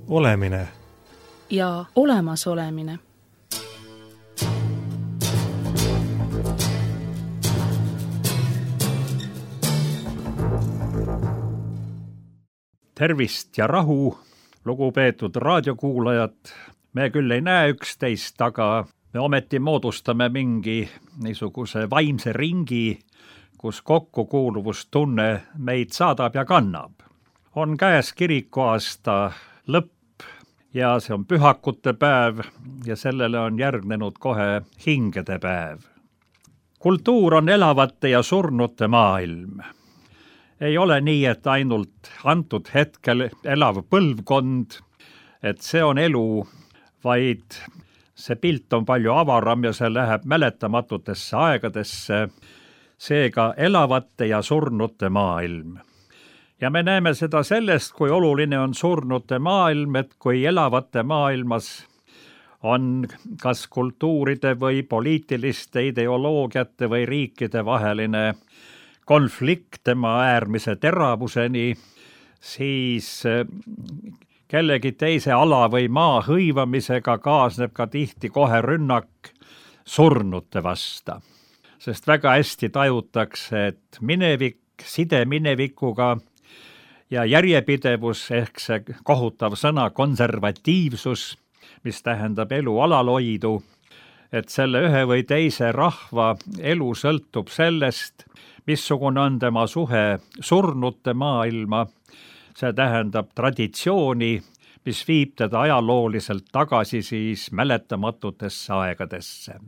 olemine ja olemasolemine. Tervist ja rahu, lugupeetud raadiokuulajad. Me küll ei näe üksteist, aga me ometi moodustame mingi niisuguse vaimse ringi, kus kokkukuuluvustunne meid saadab ja kannab. On käes kirikuaasta lõpp ja see on pühakute päev ja sellele on järgnenud kohe hingede päev. Kultuur on elavate ja surnute maailm. Ei ole nii, et ainult antud hetkel elav põlvkond, et see on elu, vaid see pilt on palju avaram ja see läheb mäletamatutesse aegadesse, seega elavate ja surnute maailm. Ja me näeme seda sellest, kui oluline on surnute maailm, et kui elavate maailmas on kas kultuuride või poliitiliste ideoloogiate või riikide vaheline konflikt tema äärmise teravuseni, siis kellegi teise ala või maa hõivamisega kaasneb ka tihti kohe rünnak surnute vasta. Sest väga hästi tajutakse, et minevik, side minevikuga ja järjepidevus ehk see kohutav sõna konservatiivsus, mis tähendab elu alalhoidu, et selle ühe või teise rahva elu sõltub sellest, missugune on tema suhe surnute maailma, see tähendab traditsiooni, mis viib teda ajalooliselt tagasi siis mäletamatutesse aegadesse.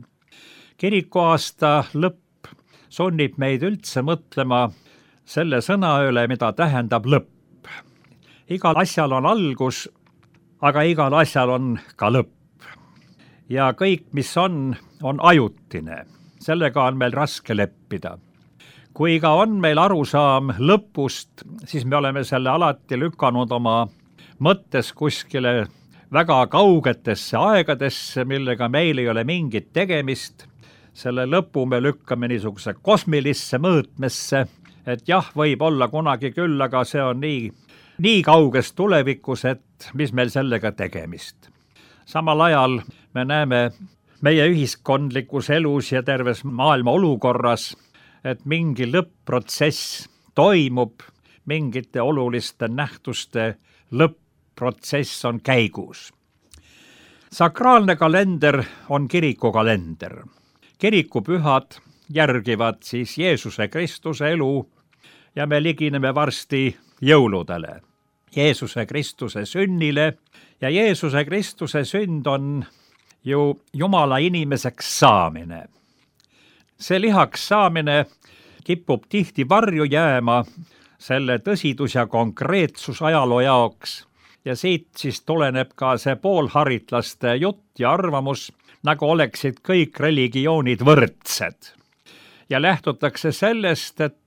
Kirikuaasta lõpp sunnib meid üldse mõtlema selle sõna üle, mida tähendab lõpp. Igal asjal on algus, aga igal asjal on ka lõpp. Ja kõik, mis on ajutine. Sellega on meil raske leppida. Kui ka on meil arusaam lõpust, siis me oleme selle alati lükanud oma mõttes kuskile väga kaugetesse aegadesse, millega meil ei ole mingit tegemist. Selle lõpu me lükkame niisuguse kosmilisse mõõtmesse, et jah, võib olla kunagi küll, aga see on nii kauges tulevikus, et mis meil sellega tegemist. Samal ajal me näeme meie ühiskondlikus elus ja terves maailma olukorras, et mingi lõpp-protsess toimub, mingite oluliste nähtuste lõpp-protsess on käigus. Sakraalne kalender on kirikukalender. Kirikupühad järgivad siis Jeesuse Kristuse elu ja me ligineme varsti jõuludele, Jeesuse Kristuse sünnile ja Jeesuse Kristuse sünd on ju Jumala inimeseks saamine. See lihaks saamine kipub tihti varju jääma selle tõsidus ja konkreetsus ajaloo jaoks ja siit siis tuleneb ka see poolharitlaste jutt ja arvamus, nagu oleksid kõik religioonid võrdsed. Ja lähtutakse sellest, et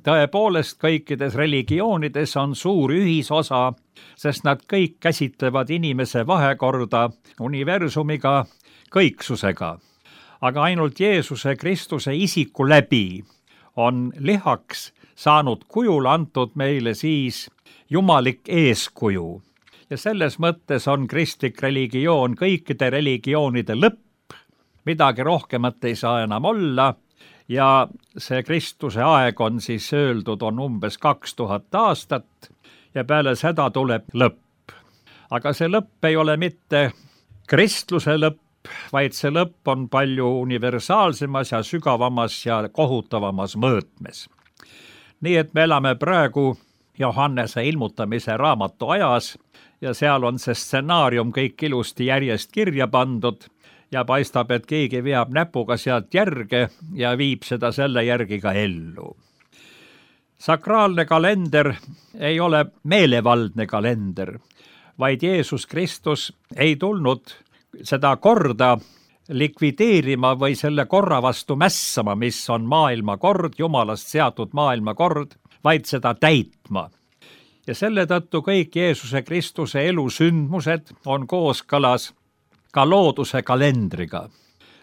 tõepoolest kõikides religioonides on suur ühisosa, sest nad kõik käsitlevad inimese vahekorda universumiga, kõiksusega. Aga ainult Jeesuse Kristuse isiku läbi on lihaks saanud kujul antud meile siis jumalik eeskuju. Ja selles mõttes on kristlik religioon kõikide religioonide lõpp, midagi rohkemat ei saa enam olla ja see Kristuse aeg on siis öeldud, on umbes 2000 aastat ja peale seda tuleb lõpp. Aga see lõpp ei ole mitte kristluse lõpp, vaid see lõpp on palju universaalsemas ja sügavamas ja kohutavamas mõõtmes. Nii et me elame praegu Johannese ilmutamise raamatu ajas ja seal on see stsenaarium kõik ilusti järjest kirja pandud ja paistab, et keegi veab näpuga sealt järge ja viib seda selle järgi ka ellu. Sakraalne kalender ei ole meelevaldne kalender, vaid Jeesus Kristus ei tulnud seda korda likvideerima või selle korra vastu mässama, mis on maailmakord, Jumalast seatud maailmakord, vaid seda täitma. Ja selle tõttu kõik Jeesuse Kristuse elusündmused on kooskõlas ka looduse kalendriga,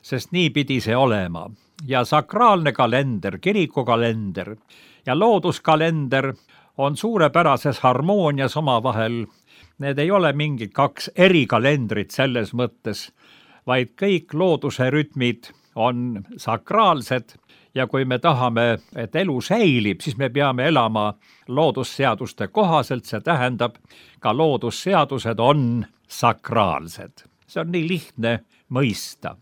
sest nii pidi see olema. Ja sakraalne kalender, kirikukalender ja looduskalender on suurepärases harmoonias omavahel need ei ole mingid kaks erikalendrit selles mõttes, vaid kõik looduse rütmid on sakraalsed ja kui me tahame, et elu säilib, siis me peame elama loodusseaduste kohaselt, see tähendab, ka loodusseadused on sakraalsed. See on nii lihtne mõista.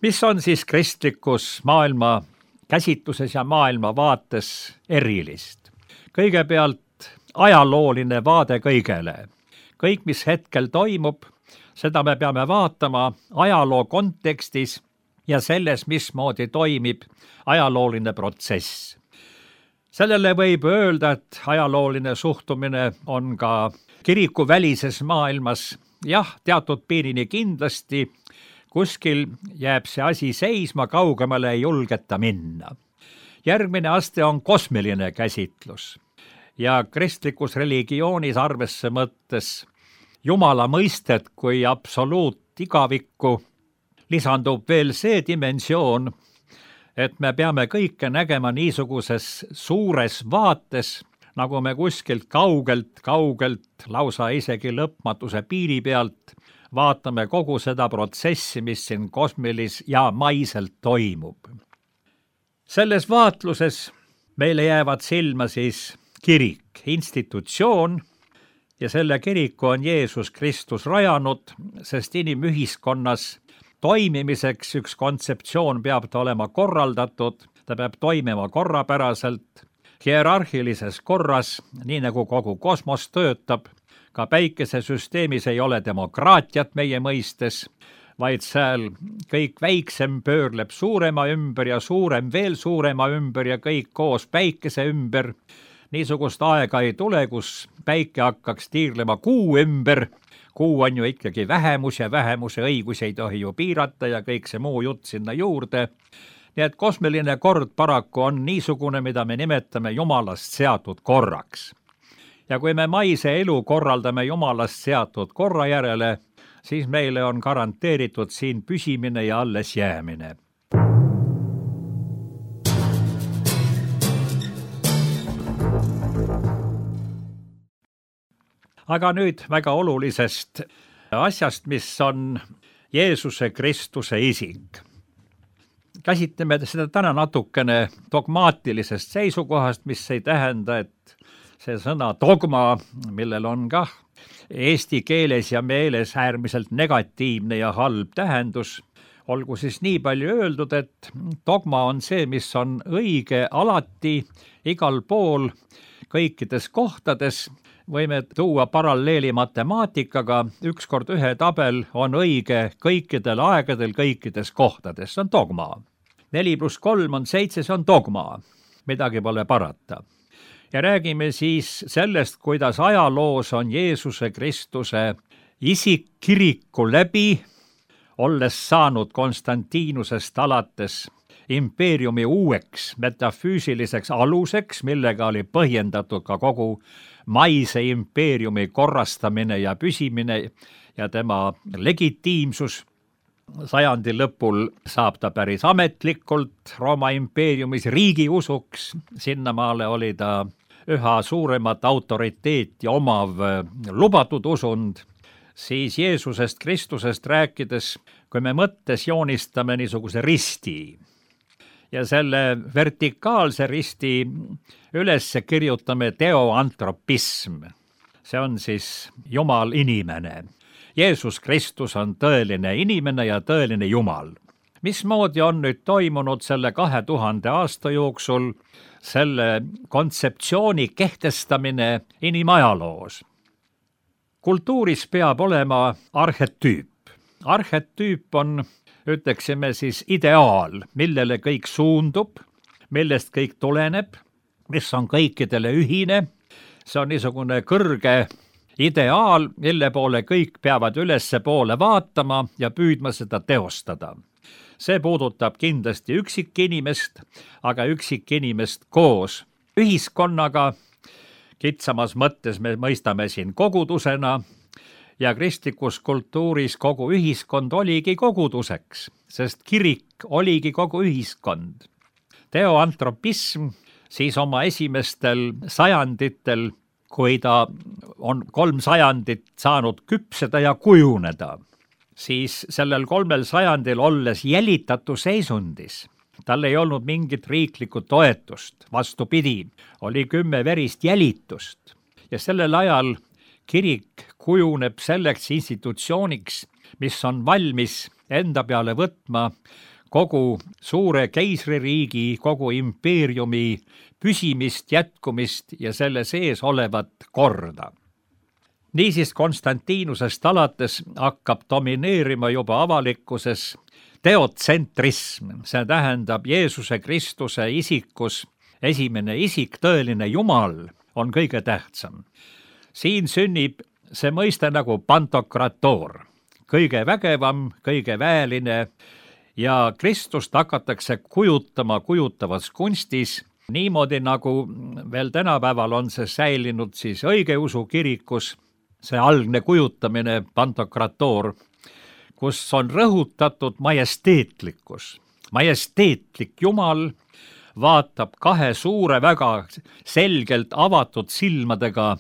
Mis on siis kristlikus maailma käsitluses ja maailma vaates erilist? Kõigepealt ajalooline vaade kõigele. Kõik, mis hetkel toimub, seda me peame vaatama ajaloo kontekstis ja selles, mismoodi toimib ajalooline protsess. Sellele võib öelda, et ajalooline suhtumine on ka kirikuvälises maailmas. Jah, teatud piirini kindlasti, kuskil jääb see asi seisma, kaugemale ei julgeta minna. Järgmine aste on kosmiline käsitlus ja kristlikus religioonis arvesse mõttes Jumala mõistet kui absoluutigavikku lisandub veel see dimensioon, et me peame kõike nägema niisuguses suures vaates, nagu me kuskilt kaugelt, lausa isegi lõpmatuse piiri pealt vaatame kogu seda protsessi, mis siin kosmilis ja maiselt toimub. Selles vaatluses meile jäävad silma siis kirik, institutsioon, ja selle kiriku on Jeesus Kristus rajanud, sest inimühiskonnas toimimiseks üks kontseptsioon peab ta olema korraldatud, ta peab toimima korrapäraselt, hierarhilises korras, nii nagu kogu kosmos töötab. Ka päikesesüsteemis ei ole demokraatiat meie mõistes, vaid seal kõik väiksem pöörleb suurema ümber ja suurem veel suurema ümber ja kõik koos päikese ümber. Niisugust aega ei tule, kus päike hakkaks tiirlema kuu ümber. Kuu on ju ikkagi vähemus ja vähemuse õigusi ei tohi ju piirata ja kõik see muu jutt sinna juurde. Nii et kosmiline kord paraku on niisugune, mida me nimetame Jumalast seatud korraks. Ja kui me maise elu korraldame Jumalast seatud korra järele, siis meile on garanteeritud siin püsimine ja alles jäämine. Aga nüüd väga olulisest asjast, mis on Jeesuse Kristuse isik. Käsitleme seda täna natukene dogmaatilisest seisukohast, mis ei tähenda, et see sõna dogma, millel on kah eesti keeles ja meeles äärmiselt negatiivne ja halb tähendus, olgu siis nii palju öeldud, et dogma on see, mis on õige alati, igal pool, kõikides kohtades. Võime tuua paralleeli matemaatikaga, ükskord ühe tabel on õige kõikidel aegadel, kõikides kohtades, see on dogma. 4 + 3 on 7, see on dogma, midagi pole parata. Ja räägime siis sellest, kuidas ajaloos on Jeesuse Kristuse isik kiriku läbi, olles saanud Konstantinusest alates impeeriumi uueks metafüüsiliseks aluseks, millega oli põhjendatud ka kogu maise impeeriumi korrastamine ja püsimine ja tema legitiimsus. Sajandi lõpul saab ta päris ametlikult Rooma impeeriumis riigiusuks, sinnamaale oli ta üha suuremat autoriteeti omav lubatud usund. Siis Jeesusest Kristusest rääkides, kui me mõttes joonistame niisuguse risti ja selle vertikaalse risti üles kirjutame teoantropism. See on siis Jumal inimene. Jeesus Kristus on tõeline inimene ja tõeline Jumal. Mismoodi on nüüd toimunud selle 2000 aasta jooksul selle kontseptsiooni kehtestamine inimajaloos? Kultuuris peab olema arhetüüp. Arhetüüp on, ütleksime siis, ideaal, millele kõik suundub, millest kõik tuleneb, mis on kõikidele ühine. See on niisugune kõrge ideaal, mille poole kõik peavad ülesse poole vaatama ja püüdma seda teostada. See puudutab kindlasti üksikinimest, aga üksikinimest koos ühiskonnaga. Kitsamas mõttes me mõistame siin kogudusena ja kristlikus kultuuris kogu ühiskond oligi koguduseks, sest kirik oligi kogu ühiskond. Teoantropism siis oma esimestel sajanditel, kui ta on 3 sajandit saanud küpseda ja kujuneda, siis sellel 3 sajandil olles jälitatu seisundis, tal ei olnud mingit riiklikku toetust, vastupidi, oli 10 verist jälitust ja sellel ajal kirik kujuneb selleks institutsiooniks, mis on valmis enda peale võtma kogu suure keisririigi, kogu impeeriumi püsimist, jätkumist ja selle sees olevat korda. Niisiis Konstantinusest alates hakkab domineerima juba avalikkuses teotsentrism, see tähendab Jeesuse Kristuse isikus esimene isik, tõeline Jumal, on kõige tähtsam. Siin sünnib see mõiste nagu pantokrator, kõige vägevam, kõige väeline ja Kristust hakatakse kujutama kujutavas kunstis niimoodi, nagu veel tänapäeval on see säilinud siis õigeusu kirikus, see algne kujutamine, pantokrator, kus on rõhutatud majesteetlikkus. Majesteetlik Jumal vaatab 2 suure, väga selgelt avatud silmadega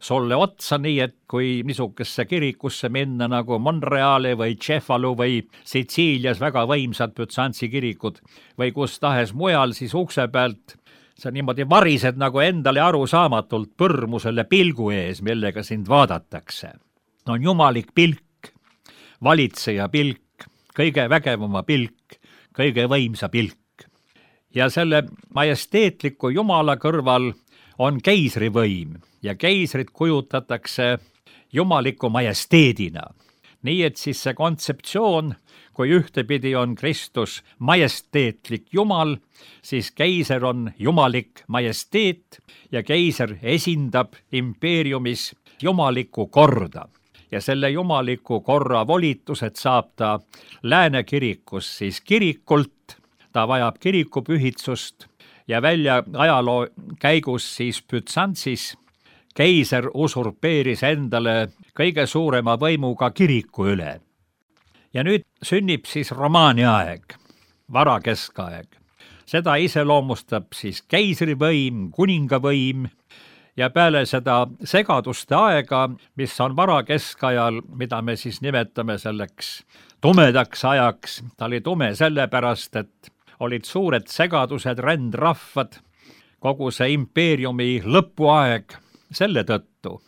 sulle otsa, nii et kui niisugesse kirikusse minna nagu Monreali või Cefalu või Sitsiilias väga võimsad Büzantsi kirikud või kus tahes mujal, siis ukse pealt sa niimoodi varised nagu endale arusaamatult põrmu selle pilgu ees, millega sind vaadatakse. On jumalik pilk, valitseja pilk, kõige vägevama pilk, kõige võimsa pilk. Ja selle majesteetliku Jumala kõrval on keisrivõim ja keisrit kujutatakse jumaliku majesteedina. Nii et siis see kontseptsioon, kui ühtepidi on Kristus majesteetlik Jumal, siis keiser on jumalik majesteet ja keiser esindab impeeriumis jumalikku korda. Ja selle jumaliku korra volitused saab ta Lääne kirikus siis kirikult, ta vajab kirikupühitsust ja välja ajaloo käigus siis Büzantsis keiser usurpeeris endale kõige suurema võimuga kiriku üle. Ja nüüd sünnib siis romaani aeg, varakeskaeg. Seda iseloomustab siis keisrivõim, kuningavõim ja peale seda segaduste aega, mis on varakeskajal, mida me siis nimetame selleks tumedaks ajaks, ta oli tume sellepärast, et olid suured segadused, rändrahvad, kogu see impeeriumi lõpuaeg selle tõttu.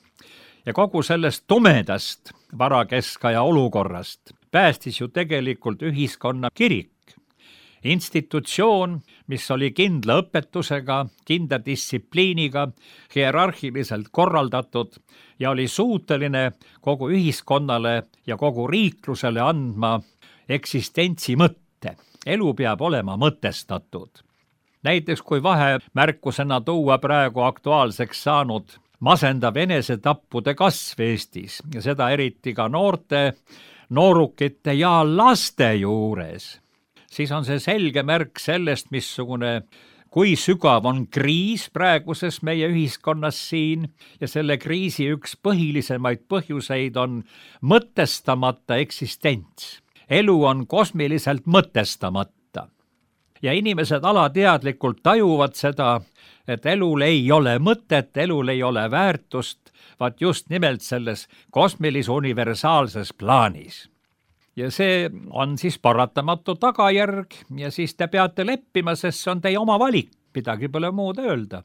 Ja kogu sellest tumedast varakeskaja olukorrast päästis ju tegelikult ühiskonna kirik. Institutsioon, mis oli kindla õpetusega, kindla distsipliiniga, hierarhiliselt korraldatud ja oli suuteline kogu ühiskonnale ja kogu riiklusele andma eksistentsi mõtte. Elu peab olema mõtestatud. Näiteks kui vahemärkusena tuua praegu aktuaalseks saanud masendav enesetappude kasv Eestis ja seda eriti ka noorte, noorukite ja laste juures, siis on see selge märk sellest, missugune, kui sügav on kriis praeguses meie ühiskonnas siin ja selle kriisi üks põhilisemaid põhjuseid on mõtestamata eksistents. Elu on kosmiliselt mõtestamata ja inimesed alateadlikult tajuvad seda, et elul ei ole mõtet, elul ei ole väärtust, vaid just nimelt selles kosmilis universaalses plaanis. Ja see on siis paratamatu tagajärg ja siis te peate leppima, sest see on teie oma valik, midagi pole muud öelda.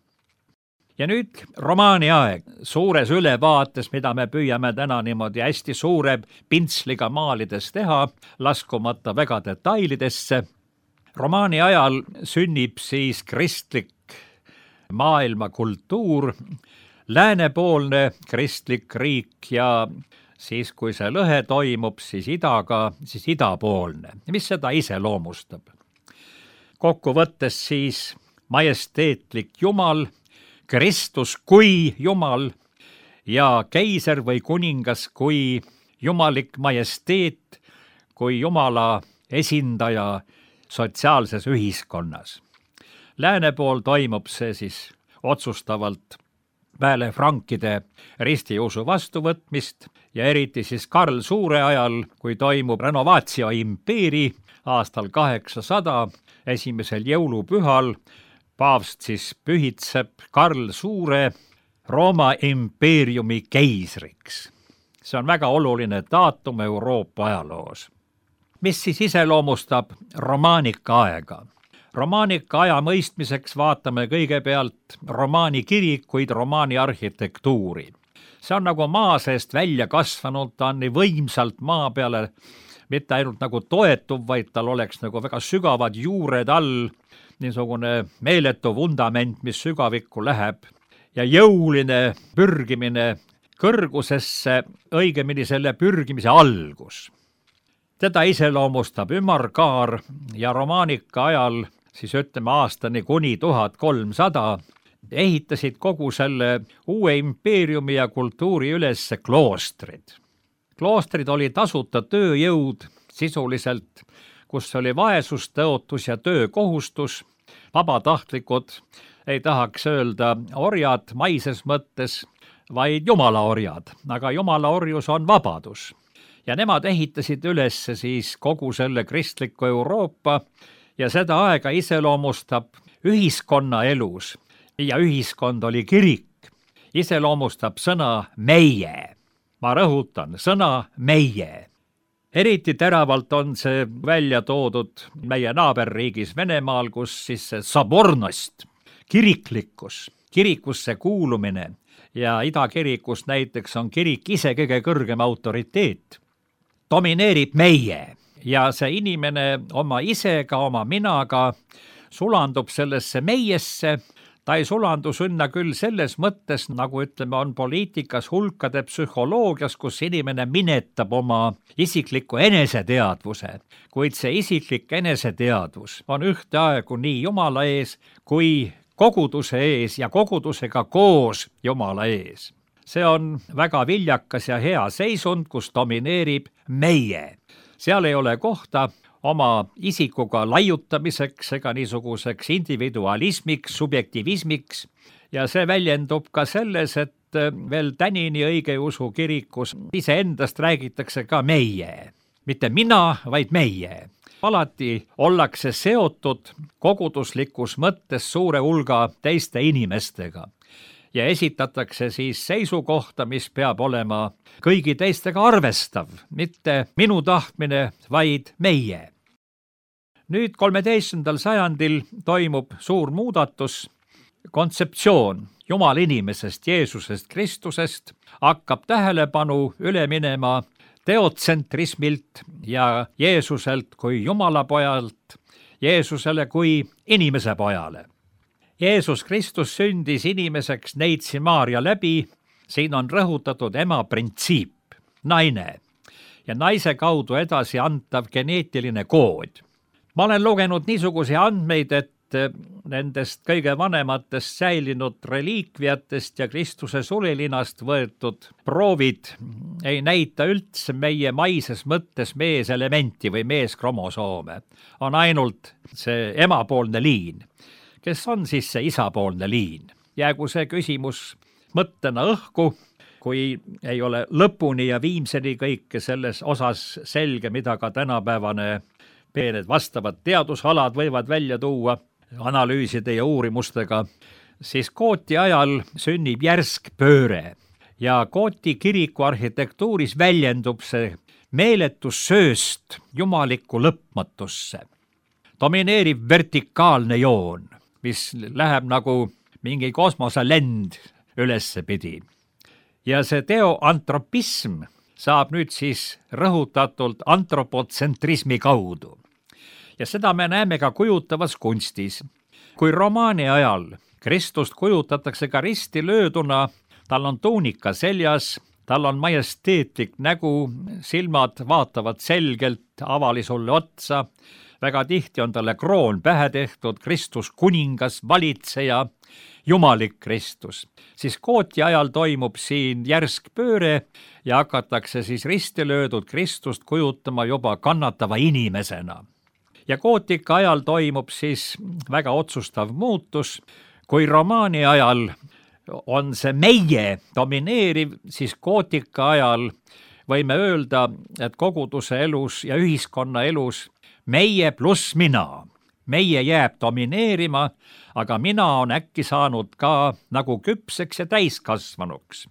Ja nüüd romaani aeg, suures ülevaates, mida me püüame täna niimoodi hästi suure pintsliga maalides teha, laskumata väga detailidesse. Romaani ajal sünnib siis kristlik maailmakultuur, läänepoolne kristlik riik ja siis kui see lõhe toimub, siis idaga, siis idapoolne, mis seda iseloomustab. Kokkuvõttes siis majesteetlik Jumal, Kristus kui Jumal ja keiser või kuningas kui jumalik majesteet, kui Jumala esindaja sotsiaalses ühiskonnas. Lääne pool toimub see siis otsustavalt peale frankide ristiusu vastuvõtmist ja eriti siis Karl Suure ajal, kui toimub renovatio impeeri aastal 800, esimesel jõulupühal, paavst siis pühitseb Karl Suure Rooma impeeriumi keisriks. See on väga oluline daatum Euroopa ajaloos. Mis siis iseloomustab romaanika aega? Romaanika aja mõistmiseks vaatame kõigepealt romaani kirikuid, romaani arhitektuuri. See on nagu maa seest välja kasvanud, ta on nii võimsalt maa peale, mitte ainult nagu toetuv, vaid tal oleks nagu väga sügavad juured all, niisugune meeletu vundament, mis sügavikku läheb ja jõuline pürgimine kõrgusesse, õigemini selle pürgimise algus. Teda iseloomustab ümarkaar ja romaanika ajal, siis ütleme aastani kuni 1300, ehitasid kogu selle uue impeeriumi ja kultuuri üles kloostrid. Kloostrid oli tasuta tööjõud sisuliselt, kus oli vaesustõotus ja töökohustus, vabatahtlikud, ei tahaks öelda orjad maises mõttes, vaid jumala orjad, aga jumala orjus on vabadus. Ja nemad ehitasid üles siis kogu selle kristliku Euroopa ja seda aega iseloomustab ühiskonna elus ja ühiskond oli kirik, iseloomustab sõna meie. Ma rõhutan, sõna meie. Eriti teravalt on see välja toodud meie naaberriigis Venemaal, kus siis see sabornost, kiriklikkus, kirikusse kuulumine ja idakirikus näiteks on kirik ise kõige kõrgem autoriteet, domineerib meie ja see inimene oma isega, oma minaga sulandub sellesse meiesse. Ta ei sulandu sinna küll selles mõttes, nagu ütleme, on poliitikas hulkade psühholoogias, kus inimene minetab oma isikliku eneseteadvuse, kuid see isiklik eneseteadvus on ühteaegu nii Jumala ees kui koguduse ees ja kogudusega koos Jumala ees. See on väga viljakas ja hea seisund, kus domineerib meie. Seal ei ole kohta oma isikuga laiutamiseks ega niisuguseks individualismiks, subjektivismiks ja see väljendub ka selles, et veel tänini õigeusu kirikus iseendast räägitakse ka meie, mitte mina, vaid meie. Alati ollakse seotud koguduslikus mõttes suure hulga teiste inimestega ja esitatakse siis seisukohta, mis peab olema kõigi teistega arvestav, mitte minu tahtmine, vaid meie. Nüüd 13. sajandil toimub suur muudatus, kontseptsioon Jumala inimesest, Jeesusest, Kristusest hakkab tähelepanu üle minema teotsentrismilt ja Jeesuselt kui Jumala pojalt, Jeesusele kui inimese pojale. Jeesus Kristus sündis inimeseks Neitsi Maarja läbi, siin on rõhutatud ema printsiip, naine ja naise kaudu edasi antav geneetiline kood. Ma olen lugenud niisuguse andmeid, et nendest kõige vanematest säilinud reliikviatest ja Kristuse sulilinast võetud proovid ei näita üldse meie maises mõttes meeselementi või meeskromosoome. On ainult see emapoolne liin. Kes on siis see isapoolne liin? Jäägu see küsimus mõttena õhku, kui ei ole lõpuni ja viimseni kõike selles osas selge, mida ka tänapäevane need vastavad teadusalad võivad välja tuua analüüside ja uurimustega, siis Gooti ajal sünnib järsk pööre ja Gooti kiriku arhitektuuris väljendub see meeletus sööst jumalikku lõpmatusse. Domineerib vertikaalne joon, mis läheb nagu mingi kosmoselend ülessepidi. Ja see teoantropism saab nüüd siis rõhutatult antropotsentrismi kaudu. Ja seda me näeme ka kujutavas kunstis. Kui romaani ajal Kristust kujutatakse ka risti lööduna, tal on tuunika seljas, tal on majesteetlik nägu, silmad vaatavad selgelt avali sulle otsa, väga tihti on talle kroon pähe tehtud, Kristus kuningas, valitseja, jumalik Kristus. Siis Gooti ajal toimub siin järsk pööre ja hakatakse siis risti löödud Kristust kujutama juba kannatava inimesena. Ja gootika ajal toimub siis väga otsustav muutus. Kui romaani ajal on see meie domineeriv, siis gootika ajal võime öelda, et koguduse elus ja ühiskonna elus meie pluss mina. meie jääb domineerima, aga mina on äkki saanud ka nagu küpseks ja täiskasvanuks.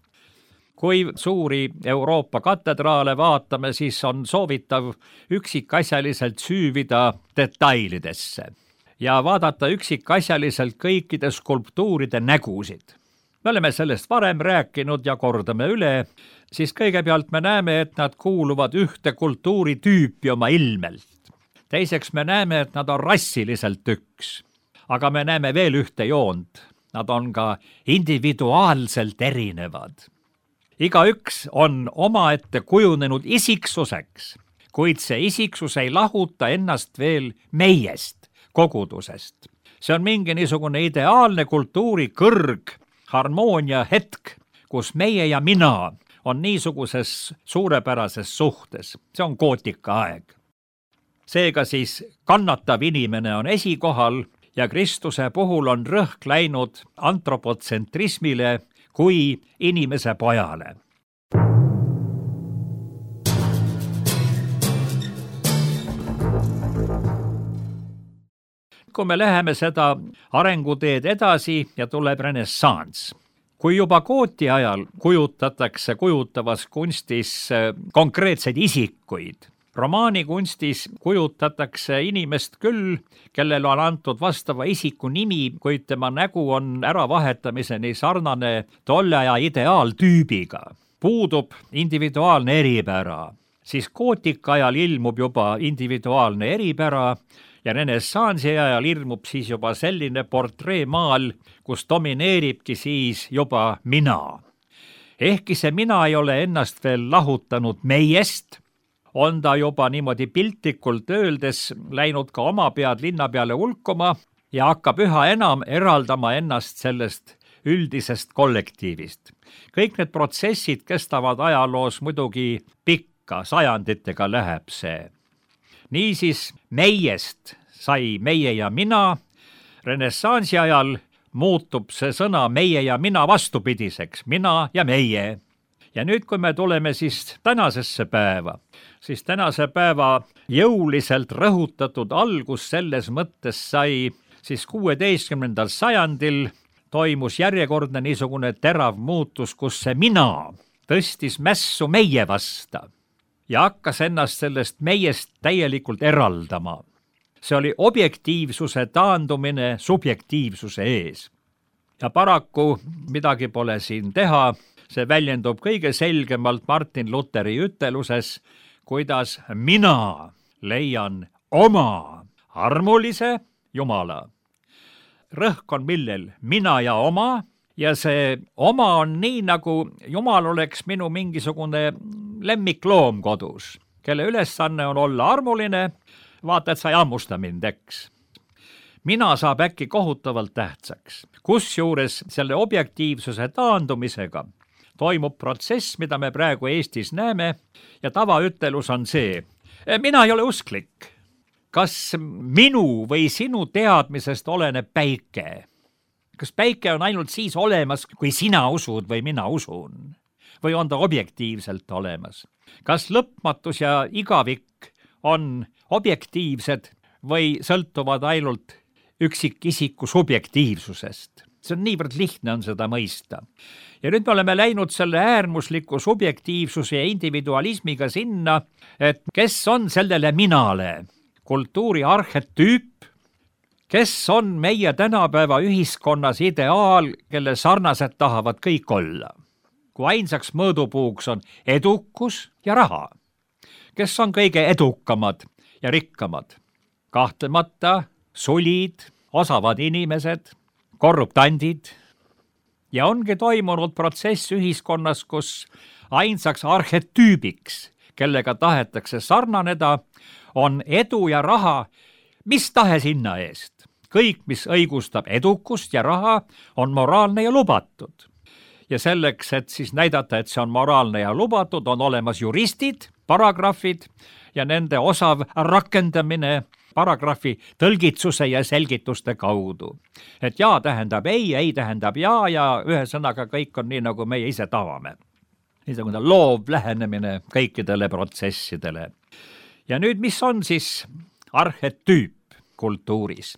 Kui suuri Euroopa katedraale vaatame, siis on soovitav üksikasjaliselt süüvida detailidesse ja vaadata üksikasjaliselt kõikide skulptuuride nägusid. Me oleme sellest varem rääkinud ja kordame üle, siis kõigepealt me näeme, et nad kuuluvad ühte kultuuritüüpi oma ilmelt. Teiseks me näeme, et nad on rassiliselt üks, aga me näeme veel ühte joont. Nad on ka individuaalselt erinevad. Igaüks on omaette kujunenud isiksuseks, kuid see isiksus ei lahuta ennast veel meiest, kogudusest. See on mingi niisugune ideaalne kultuuri kõrg, harmoonia hetk, kus meie ja mina on niisuguses suurepärases suhtes. See on gootika aeg. Seega siis kannatav inimene on esikohal ja Kristuse puhul on rõhk läinud antropotsentrismile kui inimese pojale. Kui me läheme seda arenguteed edasi ja tuleb renessanss. Kui juba gooti ajal kujutavas kunstis konkreetseid isikuid, romaanikunstis kujutatakse inimest küll, kellel on antud vastava isiku nimi, kuid tema nägu on äravahetamiseni sarnane tolle aja ideaaltüübiga. Puudub individuaalne eripära, siis gootika ajal ilmub juba individuaalne eripära ja renessansi ajal ilmub siis juba selline portreemaal, kus domineeribki siis juba mina. Ehkki see mina ei ole ennast veel lahutanud meiest, on ta juba niimoodi piltlikult öeldes läinud ka oma pead linna peale hulkuma ja hakkab üha enam eraldama ennast sellest üldisest kollektiivist. Kõik need protsessid kestavad ajaloos muidugi pikka, sajanditega läheb see. Niisiis meiest sai meie ja mina, renessansi ajal muutub see sõna meie ja mina vastupidiseks, mina ja meie. Ja nüüd, kui me tuleme siis tänasesse päeva, siis tänase päeva jõuliselt rõhutatud algus selles mõttes sai siis 16. sajandil toimus järjekordne niisugune terav muutus, kus see mina tõstis mässu meie vasta ja hakkas ennast sellest meiest täielikult eraldama. See oli objektiivsuse taandumine subjektiivsuse ees. Ja paraku midagi pole siin teha, see väljendub kõige selgemalt Martin Lutheri üteluses, kuidas mina leian oma armulise Jumala. Rõhk on millel? Mina ja oma, ja see oma on nii, nagu Jumal oleks minu mingisugune lemmikloom kodus, kelle ülesanne on olla armuline, vaata, et sa ei hammusta mind, eks. Mina saab äkki kohutavalt tähtsaks. Kusjuures selle objektiivsuse taandumisega toimub protsess, mida me praegu Eestis näeme, ja tavaütelus on see, mina ei ole usklik. Kas minu või sinu teadmisest oleneb päike? Kas päike on ainult siis olemas, kui sina usud või mina usun? Või on ta objektiivselt olemas? Kas lõpmatus ja igavik on objektiivsed või sõltuvad ainult üksikisiku subjektiivsusest? See on niivõrd lihtne on seda mõista. Ja nüüd me oleme läinud selle äärmusliku subjektiivsuse ja individualismiga sinna, et kes on sellele minale? Kultuuri arhetüüp, kes on meie tänapäeva ühiskonnas ideaal, kelle sarnased tahavad kõik olla. Kui ainsaks mõõdupuuks on edukus ja raha. Kes on kõige edukamad ja rikkamad? Kahtlemata sulid, osavad inimesed, korruptandid. Ja ongi toimunud protsess ühiskonnas, kus ainsaks arhetüübiks, kellega tahetakse sarnaneda, on edu ja raha mis tahes hinna eest. Kõik, mis õigustab edukust ja raha, on moraalne ja lubatud. Ja selleks, et siis näidata, et see on moraalne ja lubatud, on olemas juristid, paragrahvid ja nende osav rakendamine paragrahvi tõlgitsuse ja selgituste kaudu. Et jaa tähendab ei tähendab jaa ja ühesõnaga kõik on nii, nagu meie ise tavame. Niisugune loov lähenemine kõikidele protsessidele. Ja nüüd, mis on siis arhetüüp? kultuuris.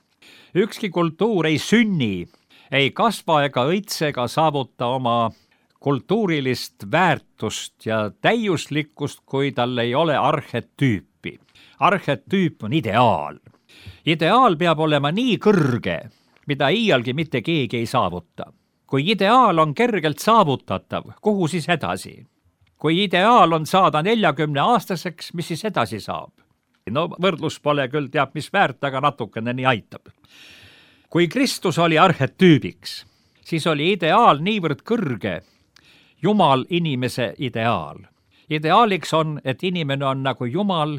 Ükski kultuur ei sünni, ei kasva ega õitse ega saavuta oma kultuurilist väärtust ja täiuslikkust, kui tal ei ole arhetüüpi. Arhetüüp on ideaal. Ideaal peab olema nii kõrge, mida iialgi mitte keegi ei saavuta. Kui ideaal on kergelt saavutatav, kuhu siis edasi? Kui ideaal on saada 40-aastaseks, mis siis edasi saab? No võrdlus pole küll teab mis väärt, aga natukene nii aitab. Kui Kristus oli arhetüübiks, siis oli ideaal niivõrd kõrge, Jumal inimese ideaal. Ideaaliks on, et inimene on nagu Jumal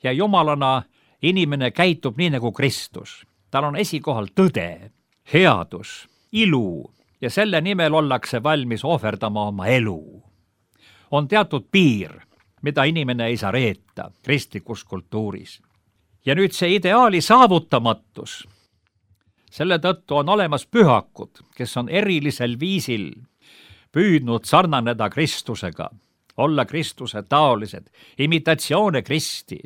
ja jumalana inimene käitub nii nagu Kristus. Tal on esikohal tõde, headus, ilu ja selle nimel ollakse valmis ohverdama oma elu. On teatud piir, mida inimene ei saa reeta kristlikus kultuuris. Ja nüüd see ideaali saavutamatus. Selle tõttu on olemas pühakud, kes on erilisel viisil püüdnud sarnaneda Kristusega, olla Kristuse taolised, imitatsioone Kristi.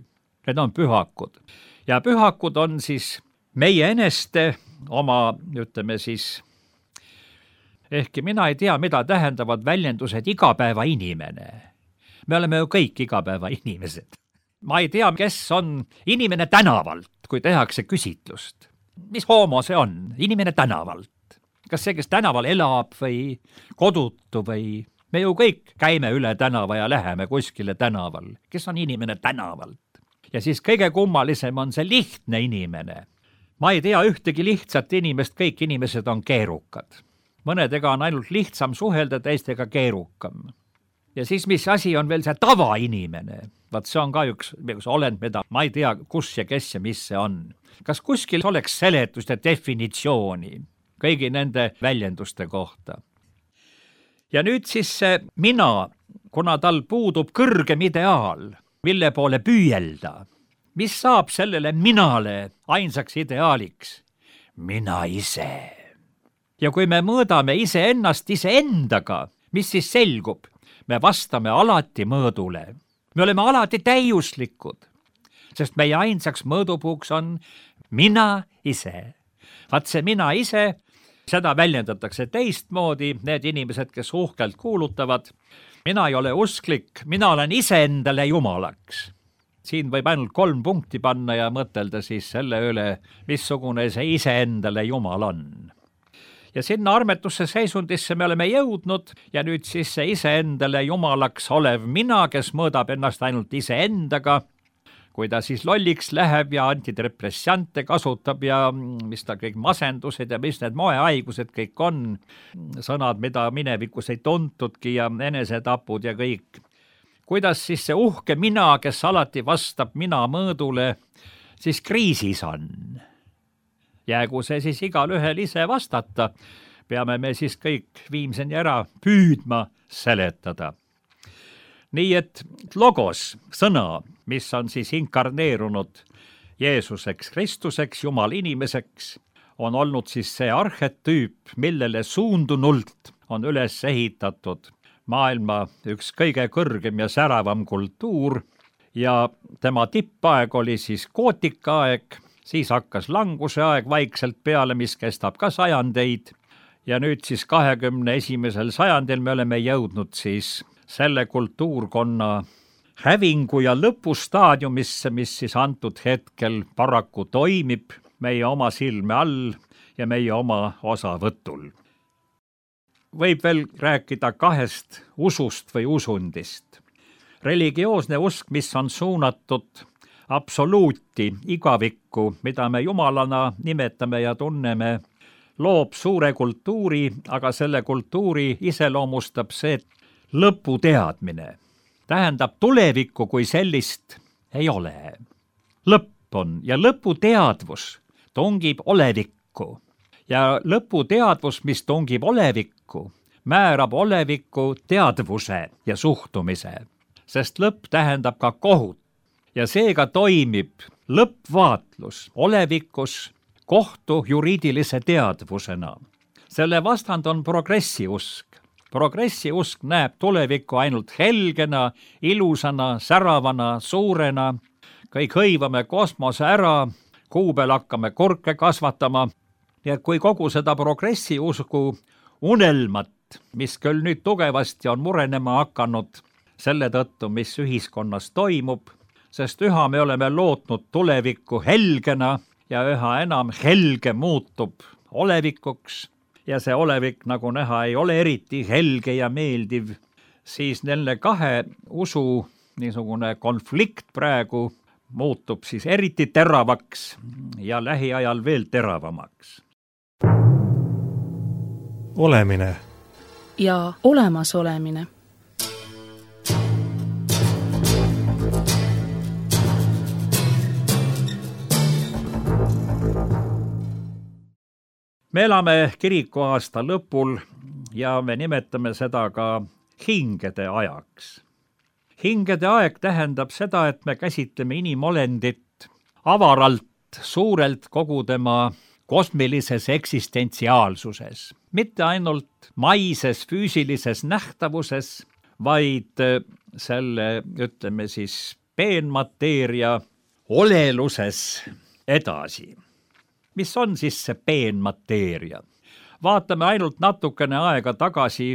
Need on pühakud. Ja pühakud on siis meie eneste oma, ütleme siis, ehkki mina ei tea, mida tähendavad väljendused igapäeva inimene. Me oleme ju kõik igapäeva inimesed. Ma ei tea, kes on inimene tänavalt, kui tehakse küsitlust. Mis homo see on? Inimene tänavalt. Kas see, kes tänaval elab või kodutu või... Me ju kõik käime üle tänava ja läheme kuskile tänaval. Kes on inimene tänavalt? Ja siis kõige kummalisem on see lihtne inimene. Ma ei tea ühtegi lihtsat inimest, kõik inimesed on keerukad. Mõnedega on ainult lihtsam suhelda, teistega keerukam. Ja siis mis asi on veel see tavainimene? Vaat see on ka üks olend, mida ma ei tea, kus ja kes ja mis see on. Kas kuskil oleks seletust ja definitsiooni kõigi nende väljenduste kohta? Ja nüüd siis see mina, kuna tal puudub kõrgem ideaal, mille poole püüelda, mis saab sellele minale ainsaks ideaaliks? Mina ise. Ja kui me mõõdame iseennast iseendaga, mis siis selgub? Me vastame alati mõõdule. Me oleme alati täiuslikud, sest meie ainsaks mõõdupuuks on mina ise. Vaat see mina ise, seda väljendatakse teistmoodi, need inimesed, kes uhkelt kuulutavad, mina ei ole usklik, mina olen iseendale jumalaks. Siin võib ainult 3 punkti panna ja mõtelda siis selle üle, missugune see iseendale jumal on. Ja sinna armetusse seisundisse me oleme jõudnud ja nüüd siis see iseendale jumalaks olev mina, kes mõõdab ennast ainult iseendaga, kui ta siis lolliks läheb ja antidepressante kasutab ja mis ta kõik masendused ja mis need moehaigused kõik on, sõnad, mida minevikus ei tuntudki ja enesetapud ja kõik. Kuidas siis see uhke mina, kes alati vastab mina mõõdule, siis kriisis on? Jäägu see siis igal ühel ise vastata, peame me siis kõik viimseni ära püüdma seletada. Nii et logos, sõna, mis on siis inkarneerunud Jeesuseks, Kristuseks, Jumal inimeseks, on olnud siis see arhetüüp, millele suundunult on üles ehitatud maailma üks kõige kõrgem ja säravam kultuur ja tema tippaeg oli siis gootikaaeg, siis hakkas languse aeg vaikselt peale, mis kestab ka sajandeid ja nüüd siis 21. sajandil me oleme jõudnud siis selle kultuurkonna hävingu ja lõpustaadiumisse, mis siis antud hetkel paraku toimib meie oma silme all ja meie oma osavõtul. Võib veel rääkida 2 usust või usundist. Religioosne usk, mis on suunatud absoluuti, igavikku, mida me jumalana nimetame ja tunneme, loob suure kultuuri, aga selle kultuuri iseloomustab see lõputeadmine. Tähendab, tulevikku kui sellist ei ole. Lõpp on ja lõputeadvus tungib olevikku. Ja lõputeadvus, mis tungib olevikku, määrab olevikku teadvuse ja suhtumise, sest lõpp tähendab ka kohut. Ja seega toimib lõppvaatlus olevikus kohtu juriidilise teadvusena. Selle vastand on progressiusk. Progressiusk näeb tulevikku ainult helgena, ilusana, säravana, suurena. Kõik hõivame kosmose ära, kuu peal hakkame kurke kasvatama. Ja kui kogu seda progressiusku unelmat, mis küll nüüd tugevasti on murenema hakanud selle tõttu, mis ühiskonnas toimub, sest üha me oleme lootnud tulevikku helgena ja üha enam helge muutub olevikuks ja see olevik, nagu näha, ei ole eriti helge ja meeldiv, siis nende kahe usu niisugune konflikt praegu muutub siis eriti teravaks ja lähiajal veel teravamaks. Olemine ja olemasolemine. Me elame kirikuaasta lõpul ja me nimetame seda ka hingede ajaks. Hingede aeg tähendab seda, et me käsitleme inimolendit avaralt, suurelt kogu tema kosmilises eksistentsiaalsuses. Mitte ainult maises füüsilises nähtavuses, vaid selle, ütleme siis, peenmateeria oleluses edasi. Mis on siis see peenmateeria? Vaatame ainult natukene aega tagasi,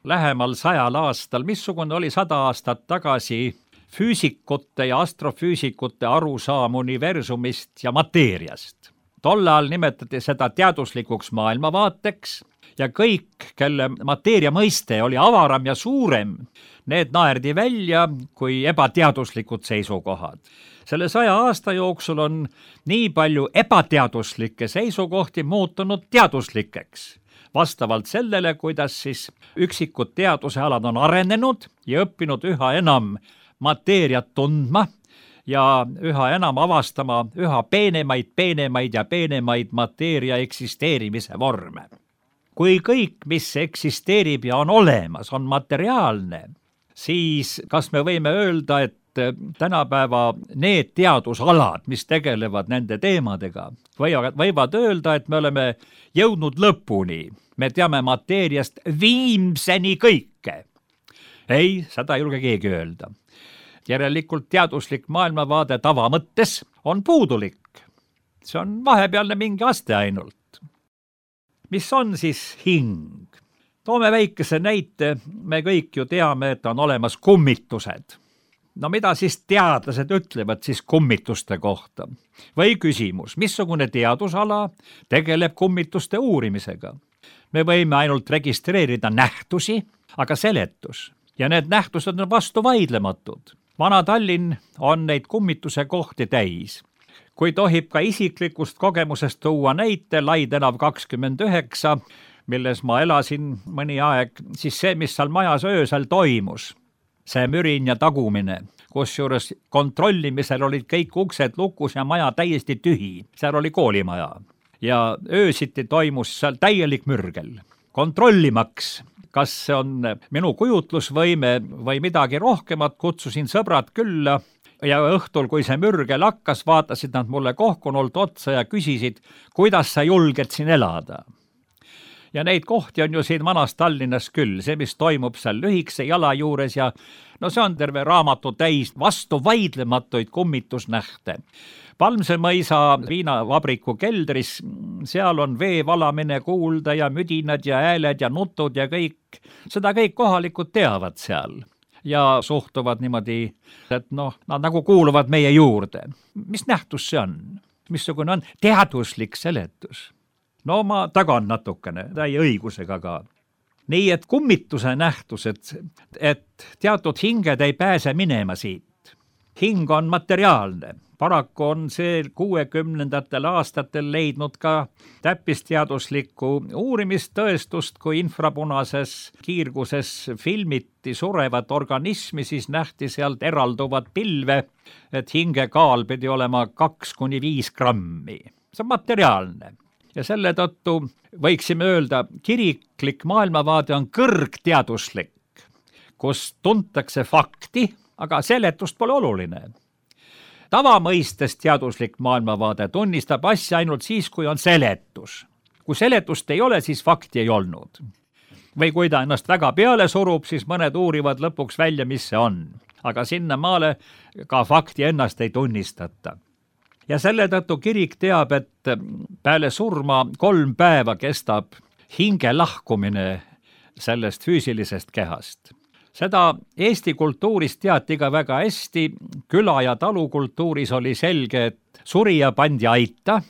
lähemal 100 aastal, missugune oli 100 aastat tagasi füüsikute ja astrofüüsikute arusaam universumist ja mateeriast. Tol ajal nimetati seda teaduslikuks maailmavaateks ja kõik, kelle mateeria mõiste oli avaram ja suurem, need naerdi välja kui ebateaduslikud seisukohad. Selle 100 aasta jooksul on nii palju ebateaduslikke seisukohti muutunud teaduslikeks, vastavalt sellele, kuidas siis üksikud teadusealad on arenenud ja õppinud üha enam mateeriat tundma ja üha enam avastama üha peenemaid ja peenemaid mateeria eksisteerimise vorme. Kui kõik, mis eksisteerib ja on olemas, on materiaalne, siis kas me võime öelda, et tänapäeva need teadusalad, mis tegelevad nende teemadega, võivad öelda, et me oleme jõudnud lõpuni. Me teame mateeriast viimseni kõike. Ei, seda ei julge keegi öelda. Järelikult teaduslik maailmavaade tavamõttes on puudulik. See on vahepealne mingi aste ainult. Mis on siis hing? Toome väikese näite, me kõik ju teame, et on olemas kummitused. No mida siis teadlased ütlevad siis kummituste kohta? Või küsimus, missugune teadusala tegeleb kummituste uurimisega? Me võime ainult registreerida nähtusi, aga seletus. Ja need nähtused on vastu vaidlematud. Vana-Tallinn on neid kummituse kohti täis. Kui tohib ka isiklikust kogemusest tuua näite, Lai tänav 29, milles ma elasin mõni aeg, siis see, mis seal majas öösel toimus, see mürin ja tagumine, kusjuures kontrollimisel olid kõik uksed lukus ja maja täiesti tühi. Seal oli koolimaja ja öösiti toimus seal täielik mürgel. Kontrollimaks, kas see on minu kujutlusvõime või midagi rohkemat, kutsusin sõbrad külla ja õhtul, kui see mürgel hakkas, vaatasid nad mulle kohkunult otsa ja küsisid, kuidas sa julged siin elada. Ja neid kohti on ju siin vanas Tallinnas küll, see, mis toimub seal lühikese jala juures ja no see on terve raamatu täis vastu vaidlematuid kummitusnähte. Palmse mõisa viinavabriku keldris, seal on vee valamine kuulda ja müdinad ja hääled ja nutud ja kõik, seda kõik kohalikud teavad seal ja suhtuvad niimoodi, et noh, nad nagu kuuluvad meie juurde. Mis nähtus see on? Missugune on teaduslik seletus? No ma tagan natukene, täie õigusega ka. Nii, et kummituse nähtused, et teatud hinged ei pääse minema siit. Hing on materiaalne. Paraku on see 60. aastatel leidnud ka täppisteaduslikku uurimistõestust, kui infrapunases kiirguses filmiti surevat organismi, siis nähti sealt eralduvat pilve, et hinge kaal pidi olema 2–5 grammi. See on materiaalne. Ja selle tõttu võiksime öelda, kiriklik maailmavaade on kõrgteaduslik, kus tuntakse fakti, aga seletust pole oluline. Tavamõistes teaduslik maailmavaade tunnistab asja ainult siis, kui on seletus. Kui seletust ei ole, siis fakti ei olnud. Või kui ta ennast väga peale surub, siis mõned uurivad lõpuks välja, mis see on. Aga sinnamaale ka fakti ennast ei tunnistata. ja selle tõttu kirik teab, et peale surma 3 päeva kestab hinge lahkumine sellest füüsilisest kehast. Seda Eesti kultuuris teati ka väga hästi, küla- ja talukultuuris oli selge, et surija pandi aita,